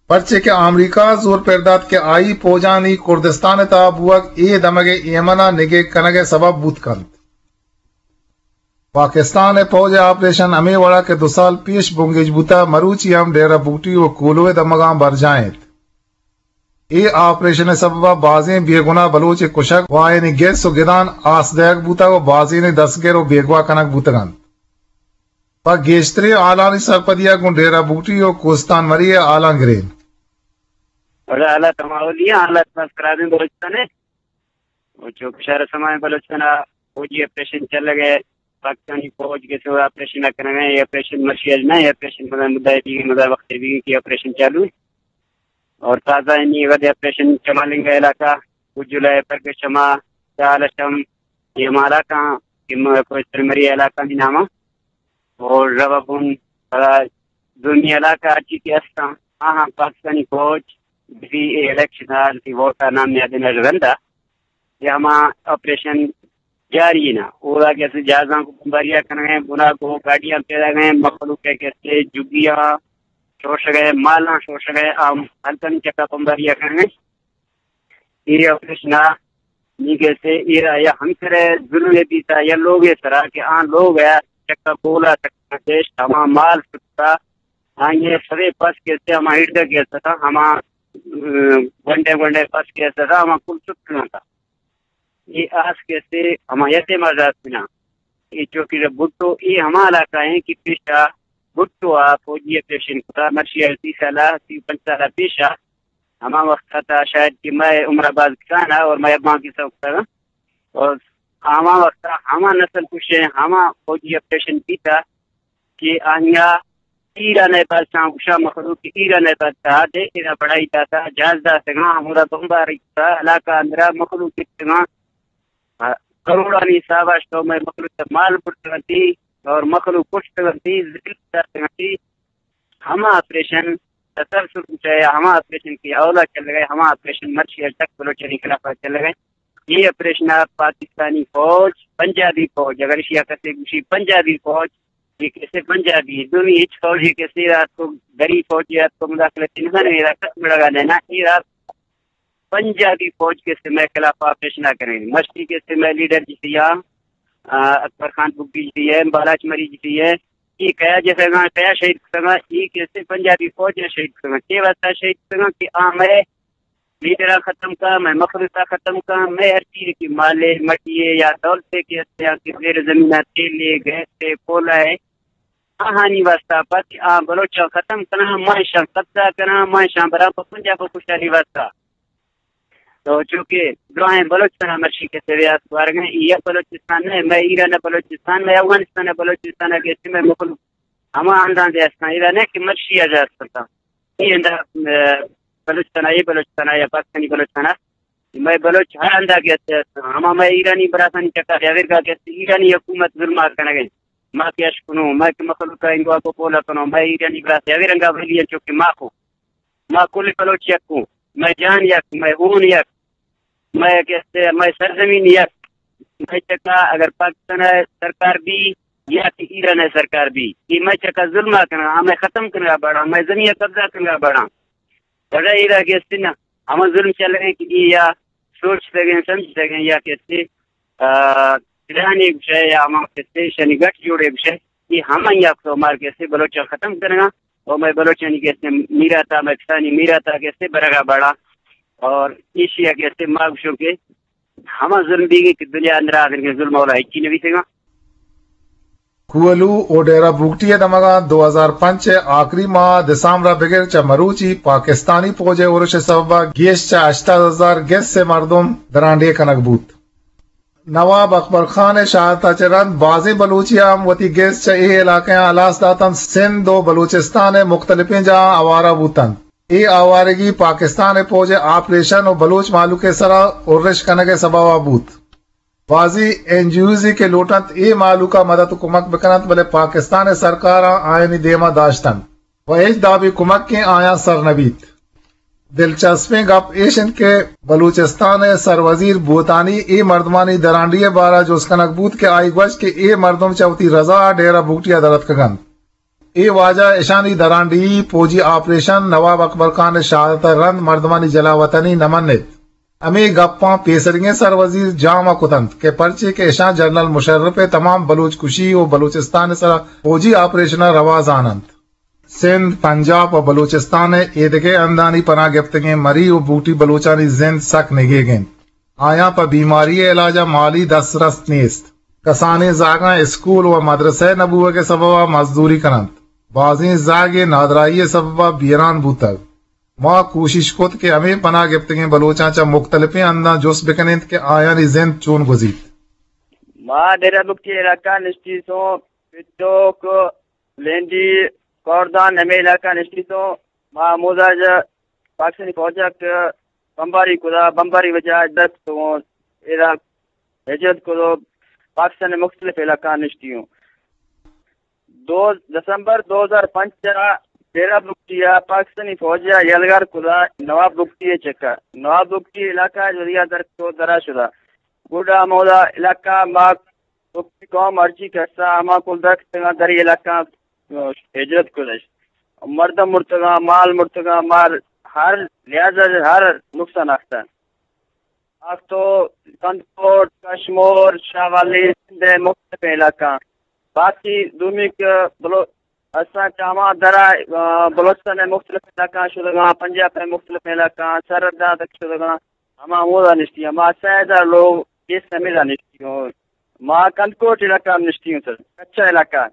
پرچے کہ آمریکا ءَ زور پر دات کہ آئی پوجانی کردستان ءِ تہا بوگ اے دمگ ءِ ایمن ءَ نگیگ کنگ ءِ سبب بوت کنت۔ پاکستان ءِ پوج ءِ آپریشن ہمے وڑا کہ دو سال پیش بنگیج بوتہ، مروچی ہم ڈیرہ بگٹی و کولوہ ءِ دمگاں برجاہ انت۔ اے آپریشن ءِ سبب ءَ بازیں بے گناہ بلوچ ءِ کشگ و آیانی گس و گدان آس دئیگ بوتگ و بازینے دستگر و بیگواہ کنگ بوتگ انت۔ پہ گیشتریں حالانی سرپدی ءَ گوں ڈیرہ بگٹی و کوستان مری ءِ حالاں گریں۔ ولا حالات ہما اولی ہیں، حالات بس خرابیں بلوچستان ءِ۔ و چو کہ شہر سمائیں بلوچستان ءَ فوجی آپریشن چلگ ءَ، پاکستانی فوج کہ سو آپریشن ءَ کنگ ءَ، یہ آپریشن مرشی اج نہ، یہ آپریشن مدام مدعی بیگی، مدام وقت بیگی کہ آپریشن چالو ہے۔ اور تازہ انی وقت آپریشن چمالنگ علاقہ، کجلا ہے، پر کہ شما چالشم، یہ مالا کا کہ کوستان مری علاقہ می نامہ۔ اور روا بن، پدا دومی علاقہ ہرچی کہ ہستاں، آہاں پاکستانی فوج بزی اے الیکشن ءَ، بزی ووٹ ءَ نام نیادینگ ءَ رند ءَ، یا ہما آپریشن جاری نا۔ اودا کہ اسے جہازاں کو بمباریا کنگے، بنا کو گاڑیاں پیدا گئے، مخلوق ہے کہ اسے جگیاں شوشگے، مالاں شوشگے، آم ہلکنی چکا بمباریا کنگے۔ اے آپریشن ءَ نی کہتے اے را یا ہمسرے ظلم بیتا یا لوگ ءِ سرا کہ آ لوگ ءِ چکا کولا چکا دیش ہما مال شتا، آئی ءِ سرے پس کہتے ہما ہڑدہ کہتا، ہما، ام، گونڈے گونڈے پس کہتا، ہما کل شت کنتا۔ اے آس کہتے ہما یتیم آزاد بنا۔ اے چوکی ءَ بھٹو، اے ہما علاقہ ہیں کہ پیشا بھٹو ءَ فوجی آپریشن کتا، مرشی ءَ سی سال ءَ، سی پنچ سال ءَ پیشا، ہما وقت ءَ تا شاید کہ مئے عمر ءَ باز کسان ءَ اور مئے اباں کسان کتا۔ اور ہما وقت ہما نسل کشے، ہما فوجی آپریشن بیتا کہ آنیا ایران ء بادشاہ گشا مخلوق ایران ء بادشاہ دے ایرا بڑائی داتا، جہاز داتگاں، ہمودا بمباری کتا، علاقہ اندرا مخلوق اتگاں، کروڑانی حساب ء شتو مئے مخلوق ء مال برتگنتی اور مخلوق کشتگنتی، ذلیل داتگنتی۔ ہما آپریشن تسلسل بوتہ یا ہما آپریشن کہ اولا چلگئے، ہما آپریشن مرچی اجتک بلوچانی خلاف چلگئے۔ اے آپریشن ء پاکستانی فوج، پنجابی فوج، اگر اشی ء کسے گوشی پنجابی فوج، یہ کسے پنجابی، دومی ہچ فوج یہ کسے رات کو غریب فوج یا کو مداخلت نہ کرے، رات مڑگا لینا، یہ رات پنجابی فوج کسے میں خلاف آپریشن نہ کریں۔ مشتی کسے میں لیڈر جسی یا، آ، اکبر خان بگٹی جسی ہے، بالاچ مری جسی ہے، یہ کیا جسے گا، کیا شہید کسے گا، یہ کسے پنجابی فوج یا شہید کسے گا، کے واسطہ شہید کسے گا کہ آ میں لیڈر ختم کا، میں مخلوق ختم کا، میں ہر چیز کی مالے، مٹیے یا دولتے کے یا کہ زیر زمین تیل ہے، گیس ہے، کولا ہے، آہانی واسطہ پت آ بلوچاں ختم کناں، ما اشاں قبضہ کناں، ما اشاں برابر پنجاب و کشتاری واسطہ۔ تو چونکہ دراہیں بلوچستان مرشی کے سویات وارگیں، یہ بلوچستان نہیں، میں ایران بلوچستان، میں افغانستان بلوچستان کے میں مخلوق ہما اندازے ہستاں، ایران ہے کہ مرشی آزاد کرتا۔ یہ انداز، اہ، بلوچستان، یہ بلوچستان یا پاکستانی بلوچستان، میں بلوچ ہر اندازے ہستاں، ہما میں ایرانی براسانی چکا یا ورگا کہ ایرانی حکومت ظلم کنگے۔ ما کہ اش کنوں، ما کہ مخلوق ء انگو کو پولا کنوں، ما ایرانی براس یا رنگا ولی انچو کہ ما کو، ما کل بلوچ یک کو، ما جان یک، ما ہون یک، ما کہ است، ما سرزمین یک، ما چکا اگر پاکستان ء سرکار بی یا کہ ایران ء سرکار بی، یہ ما چکا ظلم کنگا، ہمیں ختم کنگا بڑا، ما زمین قبضہ کنگا بڑا۔ بڑا ایرا کہ است نا، ہما ظلم چلگے کہ یہ یا سوچ سگیں، سمجھ سگیں یا کہ است، آ، پلان ایک شے یا ہما کسے شنی گٹ جوڑ ایک شے، یہ ہم یا تو مار کسے بلوچ ختم کرنا، اور میں بلوچانی کسے میراتا، میں کسانی میراتا کسے برگا بڑا، اور ایشیا کسے ماگ شو کے ہما ظلم بیگی کہ دنیا اندر آخر کے ظلم اولا ہچی نبی سگا۔ کوہلو و ڈیرہ بگٹی ء دمگاں دو ہزار پنچ ء آخری ماہ دسامبر ء بگر چہ مروچی پاکستانی پوج ء ارش ء سبب ء گیش چہ ہشتاد ہزار گس ء مردم درانڈیھ کنگ بوت۔ نواب اکبر خان ء شہادت ء چہ رند بازیں بلوچی ء ہم وتی گس چہ اے علاقہاں ہلاس داتنت، سندھ و بلوچستان ء مختلفیں جاہاں آوارہ بوتنت۔ اے آوارگی پاکستان ء پوج ء آپریشن و بلوچ مہلوک ء سرا ارش کنگ ء سبب ء بوت۔ بازیں این جی اوزے کہ لوٹنت اے مہلوک ء مدد و کمک بکننت، بلے پاکستان ء سرکاراں آیانی دیم ء داشتنت و ہچ دابیں کمکے آیاں سر نہ بیت۔ دلچسپیں گپ ایش انت کہ بلوچستان ء سروزیر بھوتانی اے مردمانی درانڈیھی ء بارہ ء جست کنگ بوت کہ آئی گوشت کہ اے مردم چہ وتی رضا ء ڈیرہ بگٹی ء در اتکگ انت۔ اے واجہ اشانی درانڈیھی پوجی آپریشن نواب اکبر خان ء شہادت ء رند مردمانی جلاوطنی نہ من ایت۔ ہمے گپاں پیسریگیں سروزیر جام ء کت انت کہ پرچے کہ اشاں جنرل مشرف ء تمام بلوچ کشی و بلوچستان ء سرا پوجی آپریشن ء روا زان انت۔ سندھ، پنجاب و بلوچستان ء ایدگہ ہندانی پناہ گپتگیں مری و بوٹی بلوچانی زند سک نگیگ انت۔ آیاں پہ بیماری ء علاج ء مالی دسترست نیست۔ کسانیں زاگاں اسکول و مدرسہ نہ بوگ ء سبب ء مزدوری کن انت۔ بازیں زاگ ء نادراہی ء سبب ء بیران بوتگ۔ ما کوشش کت کہ ہمے پناہ گپتگیں بلوچاں چہ مختلفیں ہنداں جست بکنیں کہ آیانی زند چون گوزیت۔ ما ڈیرہ بگٹی علاقہ نشتیتوں، پٹوک، لینڈی، کوردان، ہمے علاقہ نشتیتوں۔ ما ہمودا جا پاکستانی فوج ء کہ بمباری کدا، بمباری وجہ ء دست تو ایرا ہجرت کدو پاکستان ء مختلف علاقہ نشتی ہوں۔ دو دسمبر دو ہزار پنچ ء ڈیرہ بگٹی ء پاکستانی فوج ء یلغار کدا نواب بگٹی ء چکا۔ نواب بگٹی علاقہ ء ذریعہ در تو درا شدا۔ گڈا ہمودا علاقہ ما بگٹی قوم مرچی کسا ہما کل درکتگاں دری علاقہ ہجرت کدش۔ مردم مرتگاں، مال مرتگاں، مال ہر لحاظ ء ہر نقصان آختہ۔ آختو کندکوٹ، کشمور، شاہ والی، سندھ ء مختلف علاقہ۔ باقی دومی کہ بلو-، اساں چہ ہما درا، آ، بلوچستان ء مختلف علاقہ شدگاں، پنجاب ء مختلف علاقہ، سرحداں تک شدگاں، ہما ہمودا نشتی۔ ہما سہ ہزار لوگ اس ہمیدا نشتی ہوں۔ ما کندکوٹ علاقہ ہم نشتی ہوں سر، کچا علاقہ۔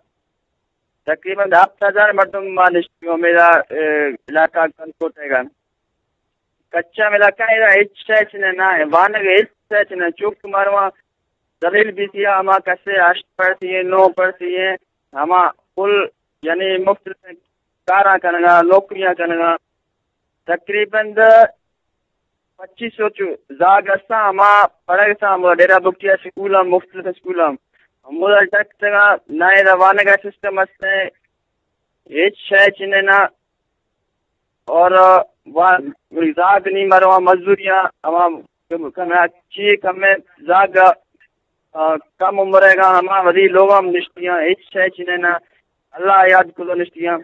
تقریباً ہفت ہزار مردم ما نشتی ہوں ہمیدا، اے، علاقہ کندکوٹ ء گا۔ کچا علاقہ ء ہچ شے چنہ نہ، وانگ ء ہچ شے چنہ، چوک مارواں ذلیل بیتیاں، ہما کسے ہشت پڑھتی ہیں، نو پڑھتی ہیں، ہما کل یعنی مختلف کاراں کنگا، نوکریاں کنگا۔ تقریباً پچیس سو چو زاگ استاں، ہما پڑھگ استاں، ہمودا ڈیرہ بگٹی ء سکول ہم، مختلف سکول ہم ہمودا ڈک تگاں، نہ ایدا وانگ ء سسٹم است، ہچ شے چنے نہ۔ اور وا زاگ نی مرواں مزدوریاں، ہما کنا چی کمیں زاگ آ، کم عمر ء گاں ہما وتی لوگ ہم نشتیاں، ہچ شے چنے نہ، اللہ یاد کلو نشتیاں۔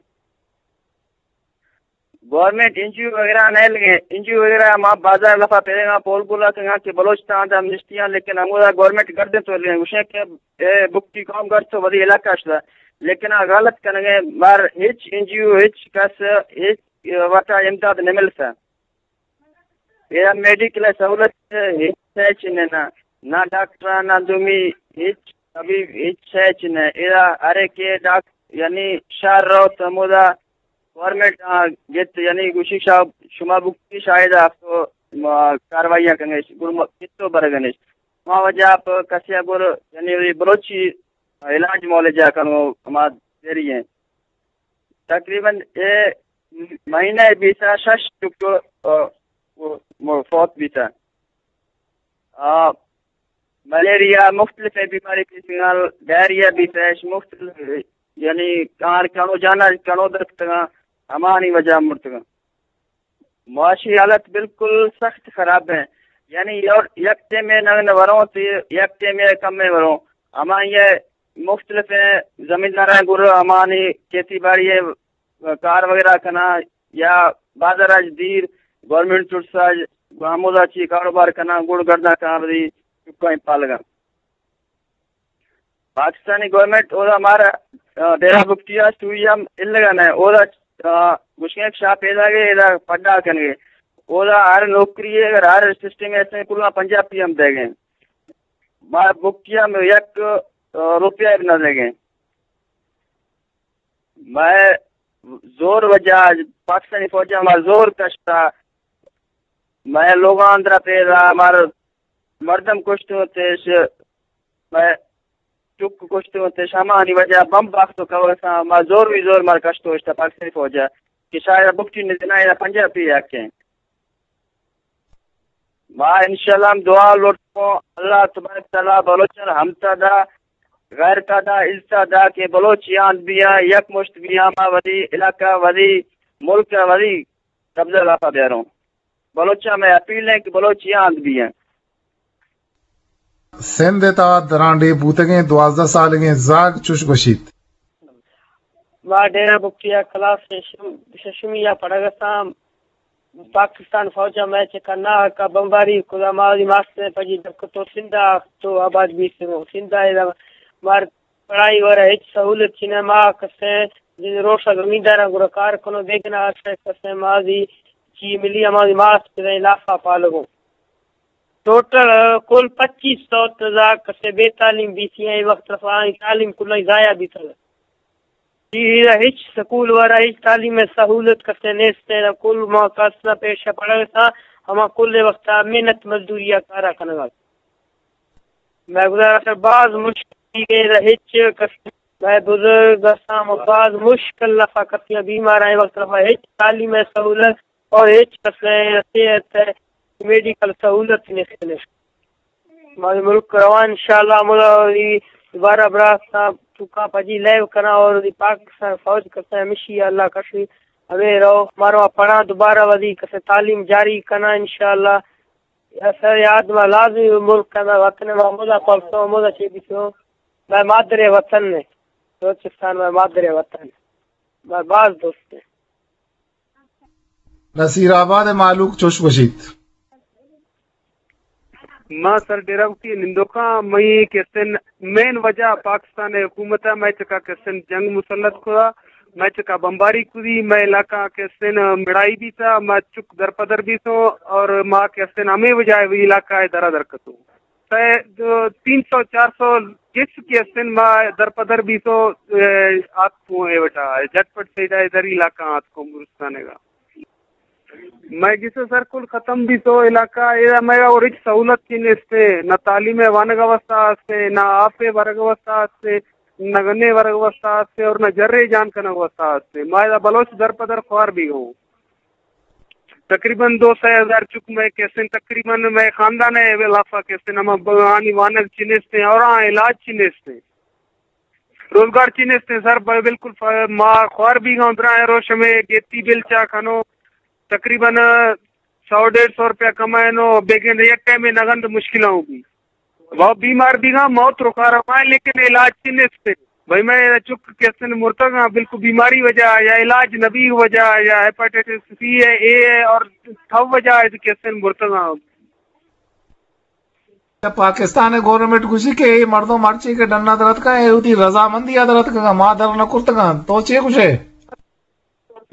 گورنمنٹ این جی او وغیرہ نہ لگے، این جی او وغیرہ ما بازار لفا پیرے گا، پول گولا کنگا کہ بلوچستان تہ ہم نشتیاں، لیکن ہمودا گورنمنٹ گردیں تو لگے، گوشیں کہ اے بگٹی قوم گرد تو وتی علاقہ شدا، لیکن آ غلط کنگے، مار ہچ این جی او، ہچ کس، ہچ وتا امداد نہ ملتا۔ اے میڈیکل سہولت ہچ نہ، نہ ڈاکٹر، نہ دومی ہچ طبیب، ہچ شے چنے۔ ادا ہر ایک ڈاک-، یعنی شہر رو تو ہمودا گورنمنٹ آ گت، یعنی گوشی شا-، شما بکتی شاید آپ تو ما کاروائیاں کنگش، گڑ ما کتو برگنش۔ ما وجہ آپ کسی گر، یعنی بلوچی علاج معالجہ کنو ہما دیری ہیں۔ تقریباً اے مہینہ بیسا شش ٹک، آ، وہ، وہ فوت بیتا۔ آ، ملیریا مختلف بیماری کی سنگال، ڈائریا بیتا، مختلف، یعنی کار کنو جانا کنو درکتگا، ہمانی وجہ مرتگا۔ معاشی حالت بالکل سخت خراب ہیں، یعنی یک، یک ٹیمے نہ، نہ وروں تے یک ٹیمے کم میں وروں۔ ہما یہ مختلف ہیں، زمینداراں گر ہمانی کھیتی باڑی ہے، کار وغیرہ کنا یا بازار اچ دیر، گورنمنٹ چرسا ہمودا چی کاروبار کنا، گڑ گرداں کنا بدی چکائیں پالگا۔ پاکستانی گورنمنٹ اودا مارا، آ، ڈیرہ بگٹی ء سوئی ہم الگا نہ، اودا، آ، گوشگیں شاپ پیدا گئے، ادا پڈا کنگے۔ اودا ہر نوکری ہے، اگر ہر سسٹم ایسے کلاں پنجابی ہم دے گئے۔ مارا بگٹی ہم یک، آ، روپیہ بھی نہ دے گئے۔ مئے زور وجہ پاکستانی فوج ء ما زور کشتا، مئے لوگاں اندرا پیدا، مار مردم کشتوں تیش، مئے چک کشتوں تیش، ہمانی وجہ بم باختو کوساں، ما زور وی زور مار کشتو اشتا پاکستانی فوج ء کہ شاید بکٹی نہ دینا یا پنجابی حق ہیں۔ ما انشاءاللہ ہم دعا لوٹوں، اللہ تبارک تعالی بلوچاں ہمتا دا، غیرتا دا، عزتا دا کہ بلوچ یاد بیاں، یک مشت بیاں، ما وتی علاقہ، وتی ملک، وتی قبضہ لاپا بیاروں۔ بلوچاں میں اپیل ہیں کہ بلوچ یاد بیاں۔ سندھ ء تہا درانڈیھ بوتگیں دوازدہ سالگیں زاگ چش گوشیت۔ ما ڈیرہ بگٹی ء کلاس ششم-، ششمی ء پڑھگ ء اتاں۔ پاکستان فوج ء مئے چکا ناحق ء بمباری کت ء ما وتی ماستریں پجی در کت ء سندھ ء تو آباد بیتگوں۔ سندھ ء ادا مار پڑھائی ورا ہچ سہولت چی نہ، ما کسے روش ء زمینداراں گڑا کار کنوں، بیگنا ہر شے کسے ما وتی چی ملی ء ما وتی ماست پدیں لاف ء پالگوں۔ ٹوٹل کل پچیس سو تزا کسے بے تعلیم بیتی ہیں، اے وقت رفا تعلیم کلائی ضائع بیتگ۔ ایرا ہچ سکول ورا ہچ تعلیم ء سہولت کسے نیست ہے، کل ما کس نہ پیش پڑھگ ء اتاں، ہما کل وقت محنت مزدوری ء کارا کنگ ء۔ مئے گزارش ء باز مشکل ہے، ایرا ہچ کس، مئے بزرگ استاں، باز مشکل لفا کپیاں، بیمار آئیں وقت لفا ہچ تعلیم ء سہولت اور ہچ کس ء صحت ء میڈیکل سہولت نیست۔ مئے ملک روان انشاءاللہ، ہمودا وتی دوبارہ برا سا چکاں پجی لیو کناں اور وتی پاکستان فوج کسے ہمیشی اللہ کشی ہمیں رو مارو پڑھاں دوبارہ وتی کسے تعلیم جاری کناں انشاءاللہ۔ یا سر یاد ما لازمی ملک کنا وطن ما ہمودا پلسو ہمودا چے بیتو۔ مئے مادر وطن نے، بلوچستان مئے مادر وطن، مئے باز دوست ہے۔ نصیر آباد ء مہلوک چوش گوشیت۔ ما سر ڈیرہ بگٹی نندوکاں، مئی کسن مین وجہ پاکستان حکومت ء مئے چکا کسن جنگ مسلط کتا، مئے چکا بمباری کتی، مئے علاقہ کسن مڑائی بیتا، ما چک درپدر بیتوں اور ما کسن ہمیں وجہ وی علاقہ ء درا در کتوں۔ تہ دو، تین سو، چار سو گیس کی استن ما در پدر بیتو، اے، آتکوں اے وٹا، جٹ پٹ سیدا ادھر علاقہ آتکوں گورستان گا۔ مئے گس سر کل ختم بیتو علاقہ، اے مئے اور ہچ سہولت کی نیستے، نہ تعلیم وانگ واسطہ ہستے، نہ آپ برگ واسطہ ہستے، نہ گنے ورگ واسطہ ہستے اور نہ جرے جان کنگ واسطہ ہستے۔ ما ادا بلوچ در پدر خوار بیگوں۔ تقریباً دو سئے ہزار چک مئے کسن، تقریباً مئے خاندان ء لافا کسن، ہما ب-، آنی وانگ چی نیستیں اور آ علاج چی نیستیں، روزگار چی نیستیں سر، ب-، بالکل ف-، ما خوار بیگاں۔ درائیں روش ہمیں گیتی بل چا کنو، تقریباً سو ڈیڑھ سو روپیہ کمائنو، بیگن یک ٹائم نگند مشکل ہوں بھی۔ وہ بیمار بیگاں، موت رکا رہا ہے، لیکن علاج چی نیستے۔ بھائی، میں چک کسن مرتگاں، بالکل بیماری وجہ یا علاج نبی وجہ یا ہیپاٹائٹس سی ہے، اے ہے اور تھو وجہ ہے کہ کسن مرتگاں۔ پاکستان ء گورنمنٹ گوشی کہ اے مردم مرچی کہ ڈنا درتکاں، اے وتی رضامندی ء درتکاں، ما در نہ کرتگاں۔ تو چے گوشے؟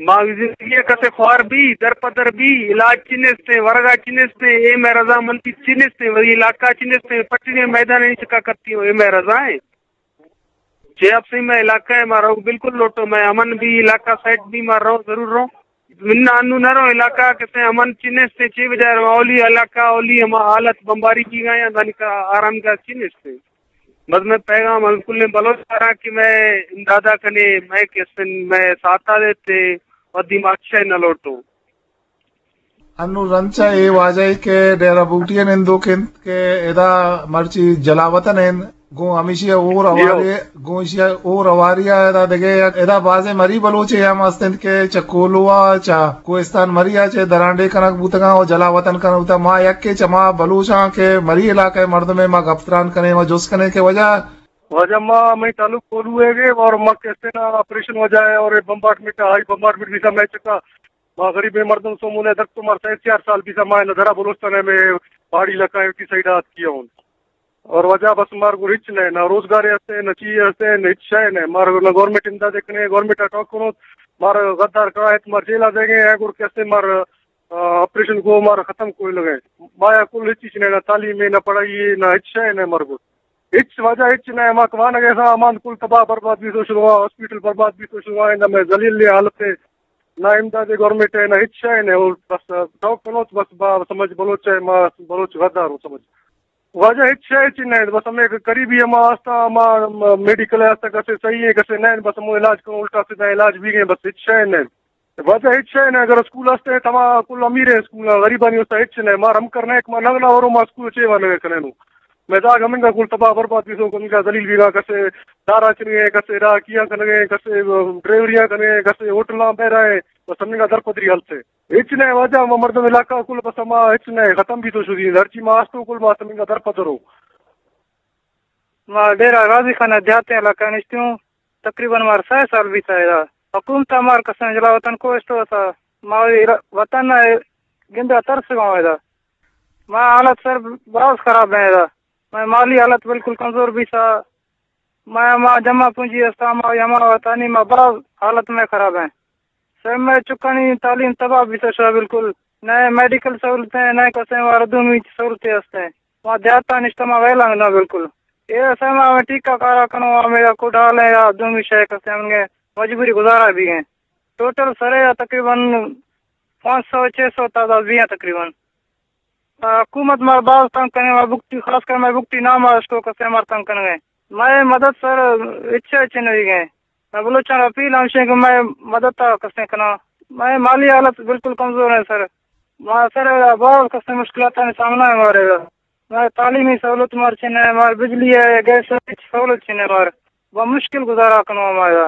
ما زندگی ء کسے خوار بی، در پدر بی، علاج چی نیستیں، ورگا چی نیستیں، اے مئے رضامندی چی نیستیں، وری علاقہ چی نیستیں، پٹنے میدان ء چکا کرتی ہوں، اے مئے رضا ہیں۔ چے آپ سے مئے علاقہ ہے، ما رو بالکل لوٹو، مئے امن بی، علاقہ سیٹ بی، ما رو ضرور رو۔ من انو نہ رو علاقہ کسے امن چی نیستیں، چی وجہ رو اولی علاقہ، اولی ہما حالت بمباری کی گئے ہیں، دانی کا آرام گاہ چی نیستیں۔ بس میں پیغام ہم کلیں بلوچ سرا کہ میں امدادا کنے، میں کسن، میں ساتھا دیتے، ودی ما اچھے نہ لوٹو۔ انو رنچا اے واجہ کہ ڈیرہ بوٹی ء نندوک انت کہ ادا مرچی جلاوطن انت، گوں ہمیشی ء اور جی ہو۔ اواری، گوں ایشی ء اور اواری ء ادا دگہ یک، ادا بازیں مری بلوچے ہم است انت کہ چہ کولوا، چہ کوہستان مری ء چہ درانڈے کنگ بوتگاں و جلاوطن کنگ بوتگ۔ ما یکے چہ ما بلوچاں کہ مری علاقہ ء مردمے، ما گپ تران کنیں و جست کنیں کہ وجہ واجہ ما، مئے تعلق کولو ء گے اور ما کسے نا آپریشن وجہ ہے اور بمبارڈمنٹ، ہائی بمبارڈمنٹ بیتا مئے چکا۔ ما غریبیں مردم سومونے درک تو مار سئے چار سال بیتا ما نہ درا بلوچستان ء میں پہاڑی علاقہ ء وتی سائیڈ آت کیا ہوں۔ اور واجہ بس مار گور ہچ نہ، نہ روزگار ہستے، نہ چی ہستے، نہ ہچ شے نہ۔ مار نہ گورنمنٹ امداد کنے، گورنمنٹ ٹاک کنو، مار غدار کرا ہے، مار جیل آ دے گئے ہیں، گور کسے مار آ، آپریشن کو مارا ختم کوئی لگے۔ مایا کل ہچ چیز نہ، نہ تعلیم ہے، نہ پڑھائی ہے، نہ ہچ شے نہ مرگو۔ ہچ واجہ ہچ نہ، ما کمانا گئے سا، امان کل تباہ برباد بھی تو شروع ہوا، ہاسپٹل برباد بھی تو شروع ہوا، نہ میں ذلیل حالت ہے، نہ امداد گورنمنٹ ہے، نہ ہچ شے نہ۔ اور بس، آ، شوق کنو تو بس با، سمجھ بلوچ ہے، ما بلوچ غدار ہو سمجھ۔ واجہ ہچ شے ہچ نہ، بس ہمیں قریبی ہما آستا، ہما میڈیکل آستا کسے صحیح ہے، کسے نہ، بس ہمو علاج کنو، الٹا سیدھا علاج بھی گئے، بس ہچ شے نہ۔ واجہ ہچ شے نہ، اگر اسکول ہستے، تما کل امیر ہیں اسکول، غریبانی واسطہ ہچ نہ۔ مار ہم کرنا ہے کہ ما نگنا ورو، ما اسکول چے وا نگے کنینو۔ میں داغ ہمنگا کل تباہ برباد بیسو، ہمنگا ذلیل بیگا، کسے دارا چنگے، کسے ڈاکیاں کنگے، کسے ڈرائیوریاں کنگے، کسے ہوٹلاں بہ رہے، بس ہمنگا درپدری حالت ہے۔ ہچ نہ واجہ، ما مردم علاقہ کل بس ما ہچ نہ، ختم بیتو شدی، ہرچی ما استو کل ما ہمنگا درپدرو۔ ما ڈیرہ غازی خان ء دیہاتیں علاقہ نشتوں، تقریباً مار سئے سال بیتا ادا۔ حکومت ء مار کسیں جلا وطن کو اشتو اتہ، ما وطن ء گندہ ترسگاں ادا۔ ما حالت سر باز خراب ہیں ادا۔ مئے مالی حالت بالکل کمزور بیتا۔ مئے ہما جمع پونجی استا، ہما ہما وطنی، ما باز حالت میں خراب ہیں۔ سر، مئے چکانی تعلیم تباہ بیتا شا بالکل۔ نئے میڈیکل سہولتیں، نئے کسیں وار دومی سہولتیں ہستیں۔ ما دیہاتا نشتہ، ما ویلانگ نہ بالکل۔ اے سر، ما ہمیں ٹیکہ کارا کنو، ہمیں یا کوڈال ہے یا دومی شے کسیں، ہمیں مجبوری گزارا بھی ہیں۔ ٹوٹل سرے یا تقریباً پانچ سو چھ سو تعداد بھی ہیں تقریباً۔ آ، حکومت مار باز تنگ کنے، مار بکتی، خاص کر مئے بکتی نام آشکو کسے مار تنگ کنگے۔ مئے مدد سر اچھے اچھے نہیں گئے۔ مئے بلوچان اپیل ہمشیں کہ مئے مدد تا کسے کنا۔ مئے مالی حالت بالکل کمزور ہے سر۔ ما سر باز کسے مشکلات سامنا ہے مارے۔ مئے تعلیمی سہولت مار چنے، مار بجلی ہے، گیس ہے، سہولت چنے مار۔ با مشکل گزارا کنو مارا۔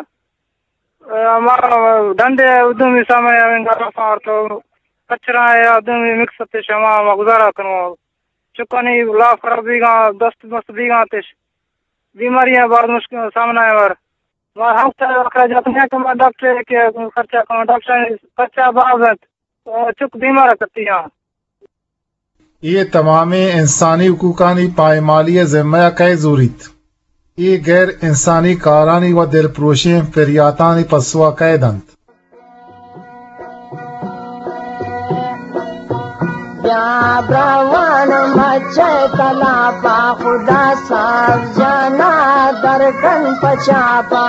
اے، ہما ڈنڈے ء دومی سامان ء انگا رفاں تو کچرا ء دومی مکس اتش ہما ما گزارا کنوں۔ چکانی لاف خراب بیگاں، دست مست بیگاں اتش۔ بیماریاں باز مشکل سامنا ء مار۔ ما ہفت اخراجات نہ کما ڈاکٹر کہ خرچہ کما ڈاکٹر خرچہ باز انت۔ چک بیمار کتیاں۔ اے تمامیں انسانی حقوقانی پائمالی ء ذمہ ء کئے زوریت؟ اے غیر انسانی کارانی و دلپروشیں پریاتانی پسو ء کئے دنت؟ بیا براوان مچ تلاپا، خدا صاحب جانا درکن پچاپا۔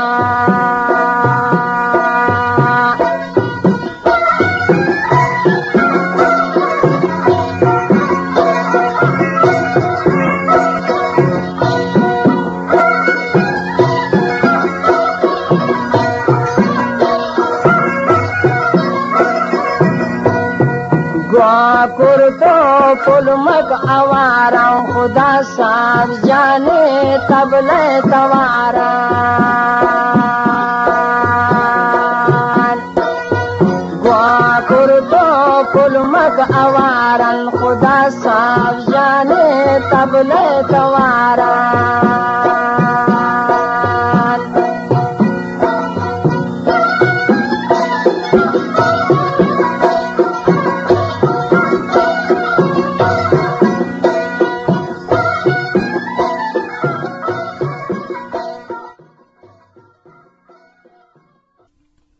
گوا کرد و پلمک آواراں، خدا صاحب جانے طبلہ تواراں۔ گوا کرد و پلمک آواراں، خدا صاحب جانے طبلہ تواراں۔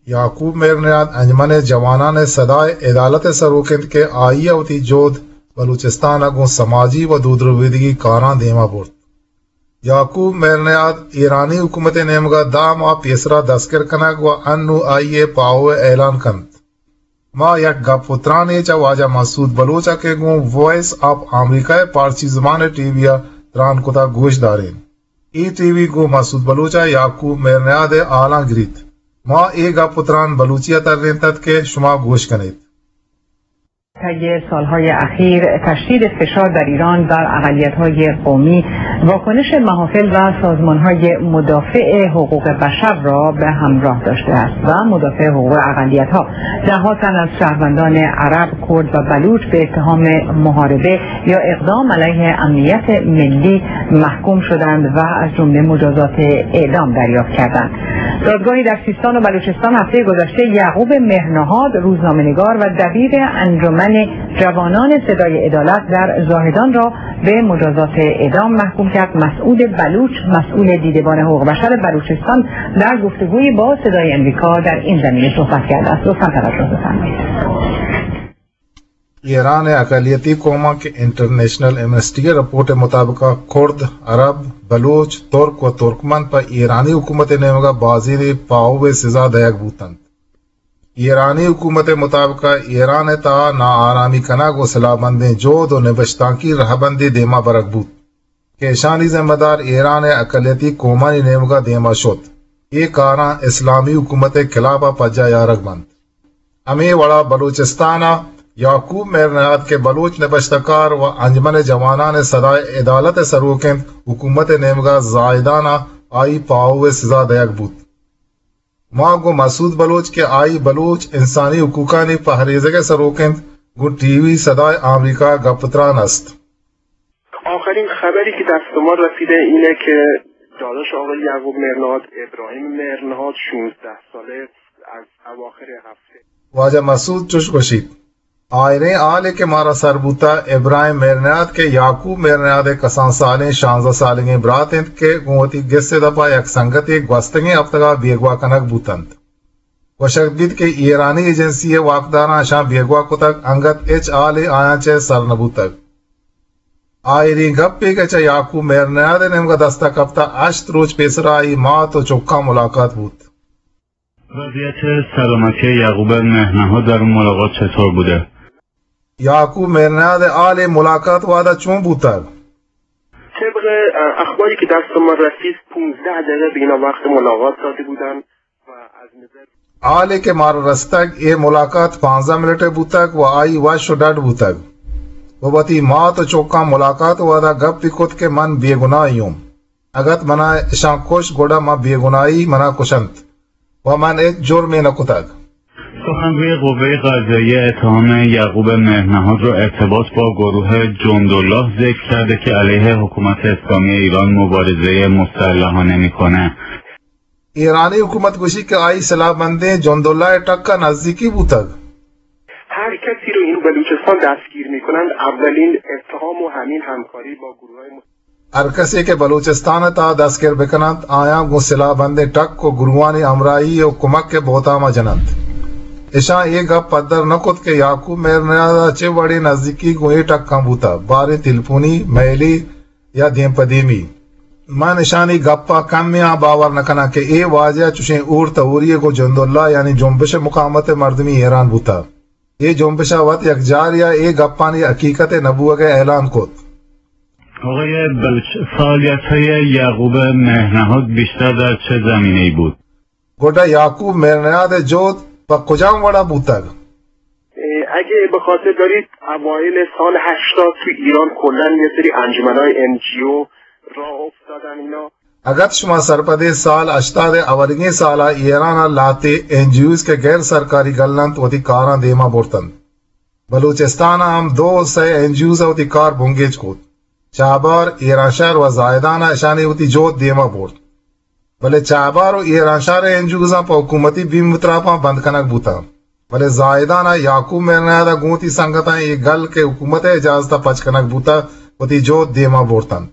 یعقوب مہرنیاد انجمن جوانان صدائے عدالت ءِ سروک انت کہ آئی ءَ وتی جہد بلوچستان ءَ گوں سماجی و دودربیدگی کاراں دیما برت۔ یعقوب مہرنیاد ایرانی حکومت ءِ نیمگ ءَ دہ ماہ پیسرا دستگر کنگ و انوں آئی ءِ پاہو ءِ اعلان کنت۔ ما یک گپ و ترانے چہ واجہ مسعود بلوچ ءَ کہ گوں وائس آف امریکہ ءِ پارسی زبان ءِ ٹی وی ءَ تران کتگ گوش دارین۔ اے ٹی وی گوں مسعود بلوچ ءَ یعقوب مہرنیاد ءِ حالاں گریت۔ ما اے گپ و تران بلوچی ءَ ترینتت کہ شما گوش کنیت۔ طی سال‌های اخیر تشدید فشار در ایران بر اقلیت‌های قومی، واکنش محافل و سازمان‌های مدافع حقوق بشر را به همراه داشته است و مدافع حقوق اقلیت‌ها، ده‌ها تن از شهروندان عرب، کرد و بلوچ به اتهام محاربه یا اقدام علیه امنیت ملی محکوم شدند و از جمله مجازات اعدام دریافت کردند. دادگاهی در سیستان و بلوچستان هفتهٔ گذشته یعقوب مهرنهاد، روزنامه‌نگار و دبیر انجمن جوانان صدای عدالت در زاهدان را به مجازات اعدام محکوم کرد. مسعود بلوچ، مسئول دیدبان حقوق بشر بلوچستان، در گفتگویی با صدای امریکا در این زمینه صحبت کرده است. لطفاً توجه بفرمایید. ایران ءِ اقلیتی قوماں کہ انٹرنیشنل ایمنسٹی ءِ رپورٹ ءِ مطابق ءَ کرد، عرب، بلوچ، ترک و ترکمن پہ ایرانی حکومت ءِ نیمگ ءَ بازینے پاہو ءِ سزا دئیگ بوت انت۔ ایرانی حکومت ءِ مطابق ءَ ایران ءِ تہا ناآرامی کنگ و سلاہ بندیں جہد و نبشتانکی رہبندے دیما برگ بوت۔ کہ اشانی ذمہ دار ایران ءِ اقلیتی قومانی نیمگ ءَ دیما شت۔ اے کاراں اسلامی حکومت ءِ خلاف ءَ پجا یارگ بنت۔ ہمے وڑا بلوچستان ءَ یعقوب مہرنیاد کہ بلوچ نبشتہ کار و انجمن جوانان صدائے عدالت ءِ سروک انت، حکومت ءِ نیمگ ءَ زاہدان ءَ آئی پاہو ءِ سزا دئیگ بوت۔ ما گوں مسعود بلوچ کہ آئی بلوچ انسانی حقوقانی پہریزگ ءِ سروک انت، گوں ٹی وی صدائے آمریکا ءَ گپ تران است۔ آخرین خبری که دست ما رسیده اینه که داداش آقای یعقوب مهرنهاد، ابراهیم مهرنهاد، شانزده ساله، از اواخر هفته۔ واجہ مسعود چوش گوشیت، آئریں حالے کہ مارا سر بوتا، ابراہیم مہرنیاد کہ یعقوب مہرنیاد ءِ کسان سالیں شانزدہ سالگیں برات انت کہ گوں وتی گس ءِ دپا یک سنگتے گوستگیں ہفتگا بیگواہ کنگ بوتنت۔ گوشگ بیت کہ ایرانی ایجنسی ءِ واکداراں اشاں بیگواہ کتگ، انگت ہچ حالے آیاں چہ سر نہ بوتگ۔ آئریں گپے کہ چہ یعقوب مہرنیاد ءِ نیمگا دستا کپتا، ہشت روچ پیسرا آئی مات و چکاں ملاقات بوت۔ وضعیت سلامتی یعقوب مهرنهاد در اون ملاقات چطور بوده؟ یعقوب مہرنیاد ءِ حال اے ملاقات وہدا چون بوتگ؟ طبق، اه، اخباری که دست ما رسید، پونزده دقیقه به اینا وقت ملاقات داده بودن و از نظر حالے کہ مارا رستگ، اے ملاقات پانزدہ منٹ ءِ بوتگ و آئی وش و ڈڈ بوتگ و وتی مات و چکاں ملاقات وہدا گپی کت کہ من بے گناہی اوں۔ اگت منا اشاں کشت، گڑا من بے گناہی، منا کشنت و من ہچ جرمے نہ کتگ۔ سخنگوی قوهٔ قضائیه اتهام یعقوب مهرنهاد را ارتباط با گروه جندالله ذکر کرده که علیه حکومت اسلامی ایران مبارزهٔ مسلحانه می‌کنه. ایرانی حکومت گوشی کہ آئی سلاح بندیں جندالله ءِ ٹکا نزدیکی بوتگ۔ هر کسی رو این بلوچستان دستگیر می‌کنند، اولین اتهام و همین همکاری با گروه‌های مس- ہر کسے کہ بلوچستان ءِ تہا دستگر بکننت، آیاں گوں سلاہ بندیں ٹک و گروہانی ہمراہی و کمک ءِ بہتاما جننت۔ اشاں اے گپ پدر نہ کت کہ یعقوب مہرنیاد ءَ چہ وڑیں نزیکی گوں اے ٹکاں بوتہ، باریں تلپونی، میلی یا دیم پہ دیمی۔ من اشانی گپا کمے آں باور نہ کناں کہ اے واجہ چشیں ہور تہوریے گوں جنداللہ یعنی جنبش مقاومت ءِ مردمی حیران بوتہ۔ اے جنبش ءَ وت یکجاری ءَ اے گپانی حقیقت ءِ نہ بوگ ءِ اعلان کت۔ آقای بلوچ، فعالیت‌های یعقوب مهرنهاد بیشتر در چه زمینه‌ای بود؟ گڈا یعقوب مہرنیاد ءِ جہد پہ کجام وڑا بوتگ؟ اه، اگه به خاطر دارید، اوایل سال هشتاد تو ایران کلاً یه سری انجمن‌های ان جی او راه افتادن اینا. اگت شما سرپدے، سال ہشتاد ء اولیگیں سال ء ایران ء لہتے این جی اوز کہ غیر سرکاری گل انت، وتی کاراں دیما برتنت۔ بلوچستان ء ہم دو سئے این جی اوز ء وتی کار بنگیج کت۔ چابہار، ایرانشہر و زاہدان ء اشانی وتی جہد دیما برت۔ بلے چابہار و ایرانشہر ء این جی اوزاں پہ حکومتی بیم و تراپاں بند کنگ بوتاں۔ بلے زاہدان ء یعقوب مہرنیاد ء گوں وتی سنگتاں اے گل کہ حکومت ء اجازت ء پچ کنگ بوتگ، وتی جہد دیما برتنت۔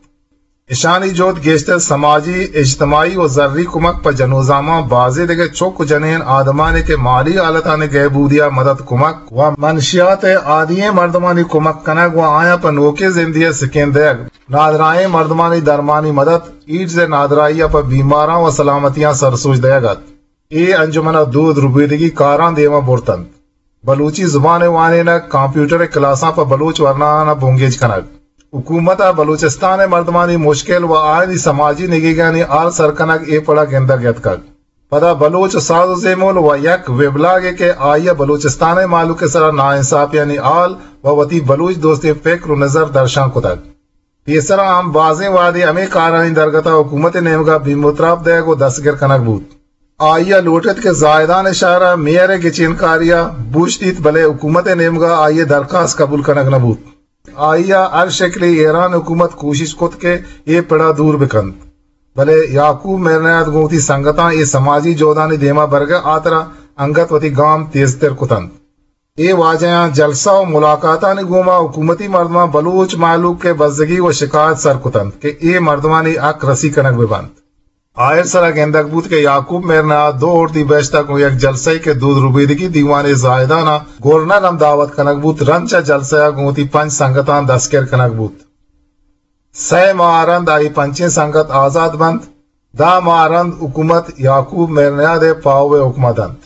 اشانی جہد گیشتر سماجی، اجتماعی و زری کمک پہ جنوزاماں، بازیں دگہ چک و جنین آدمانی کہ مالی حالتانی گہبودی ء مدد کمک و منشیات ء عادی ئیں مردمانی کمک کنگ و آیاں پہ نوکیں زندے ء سکین دئیگ، نادراہیں مردمانی درمانی مدد، ایڈز ء نادراہی ء پہ بیماراں و سلامتیاں سرسوج دئیگ ات۔ اے انجمن ء دود ربیدگی کاراں دیما برتنت۔ بلوچی زبان ء وانینگ، کمپیوٹر ء کلاساں پہ بلوچ ورناہاں بنگیج کنگ، حکومت ء بلوچستان ء مردمانی مشکل و آیانی سماجی نگیگانی حال سر کنگ اے پڑ ء گندگ یتکگ۔ پدا بلوچ ساز و زیمل و یک ویبلاگے کہ آئی ء بلوچستان ء مہلوک ء سرا ناانصافیانی حال و وتی بلوچ دوستیں فکر و نظر درشان کتگ۔ پیسرا ہم بازیں وہدے ہمے کارانی درگت ء حکومت ء نیمگ ء بیم و تراپ دئیگ و دستگر کنگ بوت۔ آئی ء لوٹ ات کہ زاہدان ء شہر ء میئر ء گچینکاری ء بوشتیت، بلے حکومت ء نیمگ ء آئی ء درخواست قبول کنگ نہ بوت۔ آئی ء ہر شکلے ایران حکومت کوشش کت کہ اے پڑ ء دور بہ کنت، بلے یعقوب مہرنیاد گوں وتی سنگتاں اے سماجی جہدانی دیما برگ ء ہاترا انگت وتی گام تیزتر کتنت۔ اے واجہاں جلسہ و ملاقاتانی گوما حکومتی مردماں بلوچ مہلوک ء بزگی و شکایت سر کتنت کہ اے مردمانی حق رسی کنگ بہ بنت۔ آئرسرا گندگ بوت کہ یعقوب مہرنیاد دو اردیبہشت ء گوں یک جلسہ ء کہ دود ربیدگی دیوان زاہدان ء گورنر ہم دعوت کنگ بوت، رند چہ جلسہ ء گوں وتی پنچ سنگتاں دستگر کنگ بوت۔ سئے ماہ ء رند آئی پنچیں سنگت آزاد بنت۔ دہ ماہ ء رند حکومت یعقوب مہرنیاد ء پاہو ء حکم ء دنت۔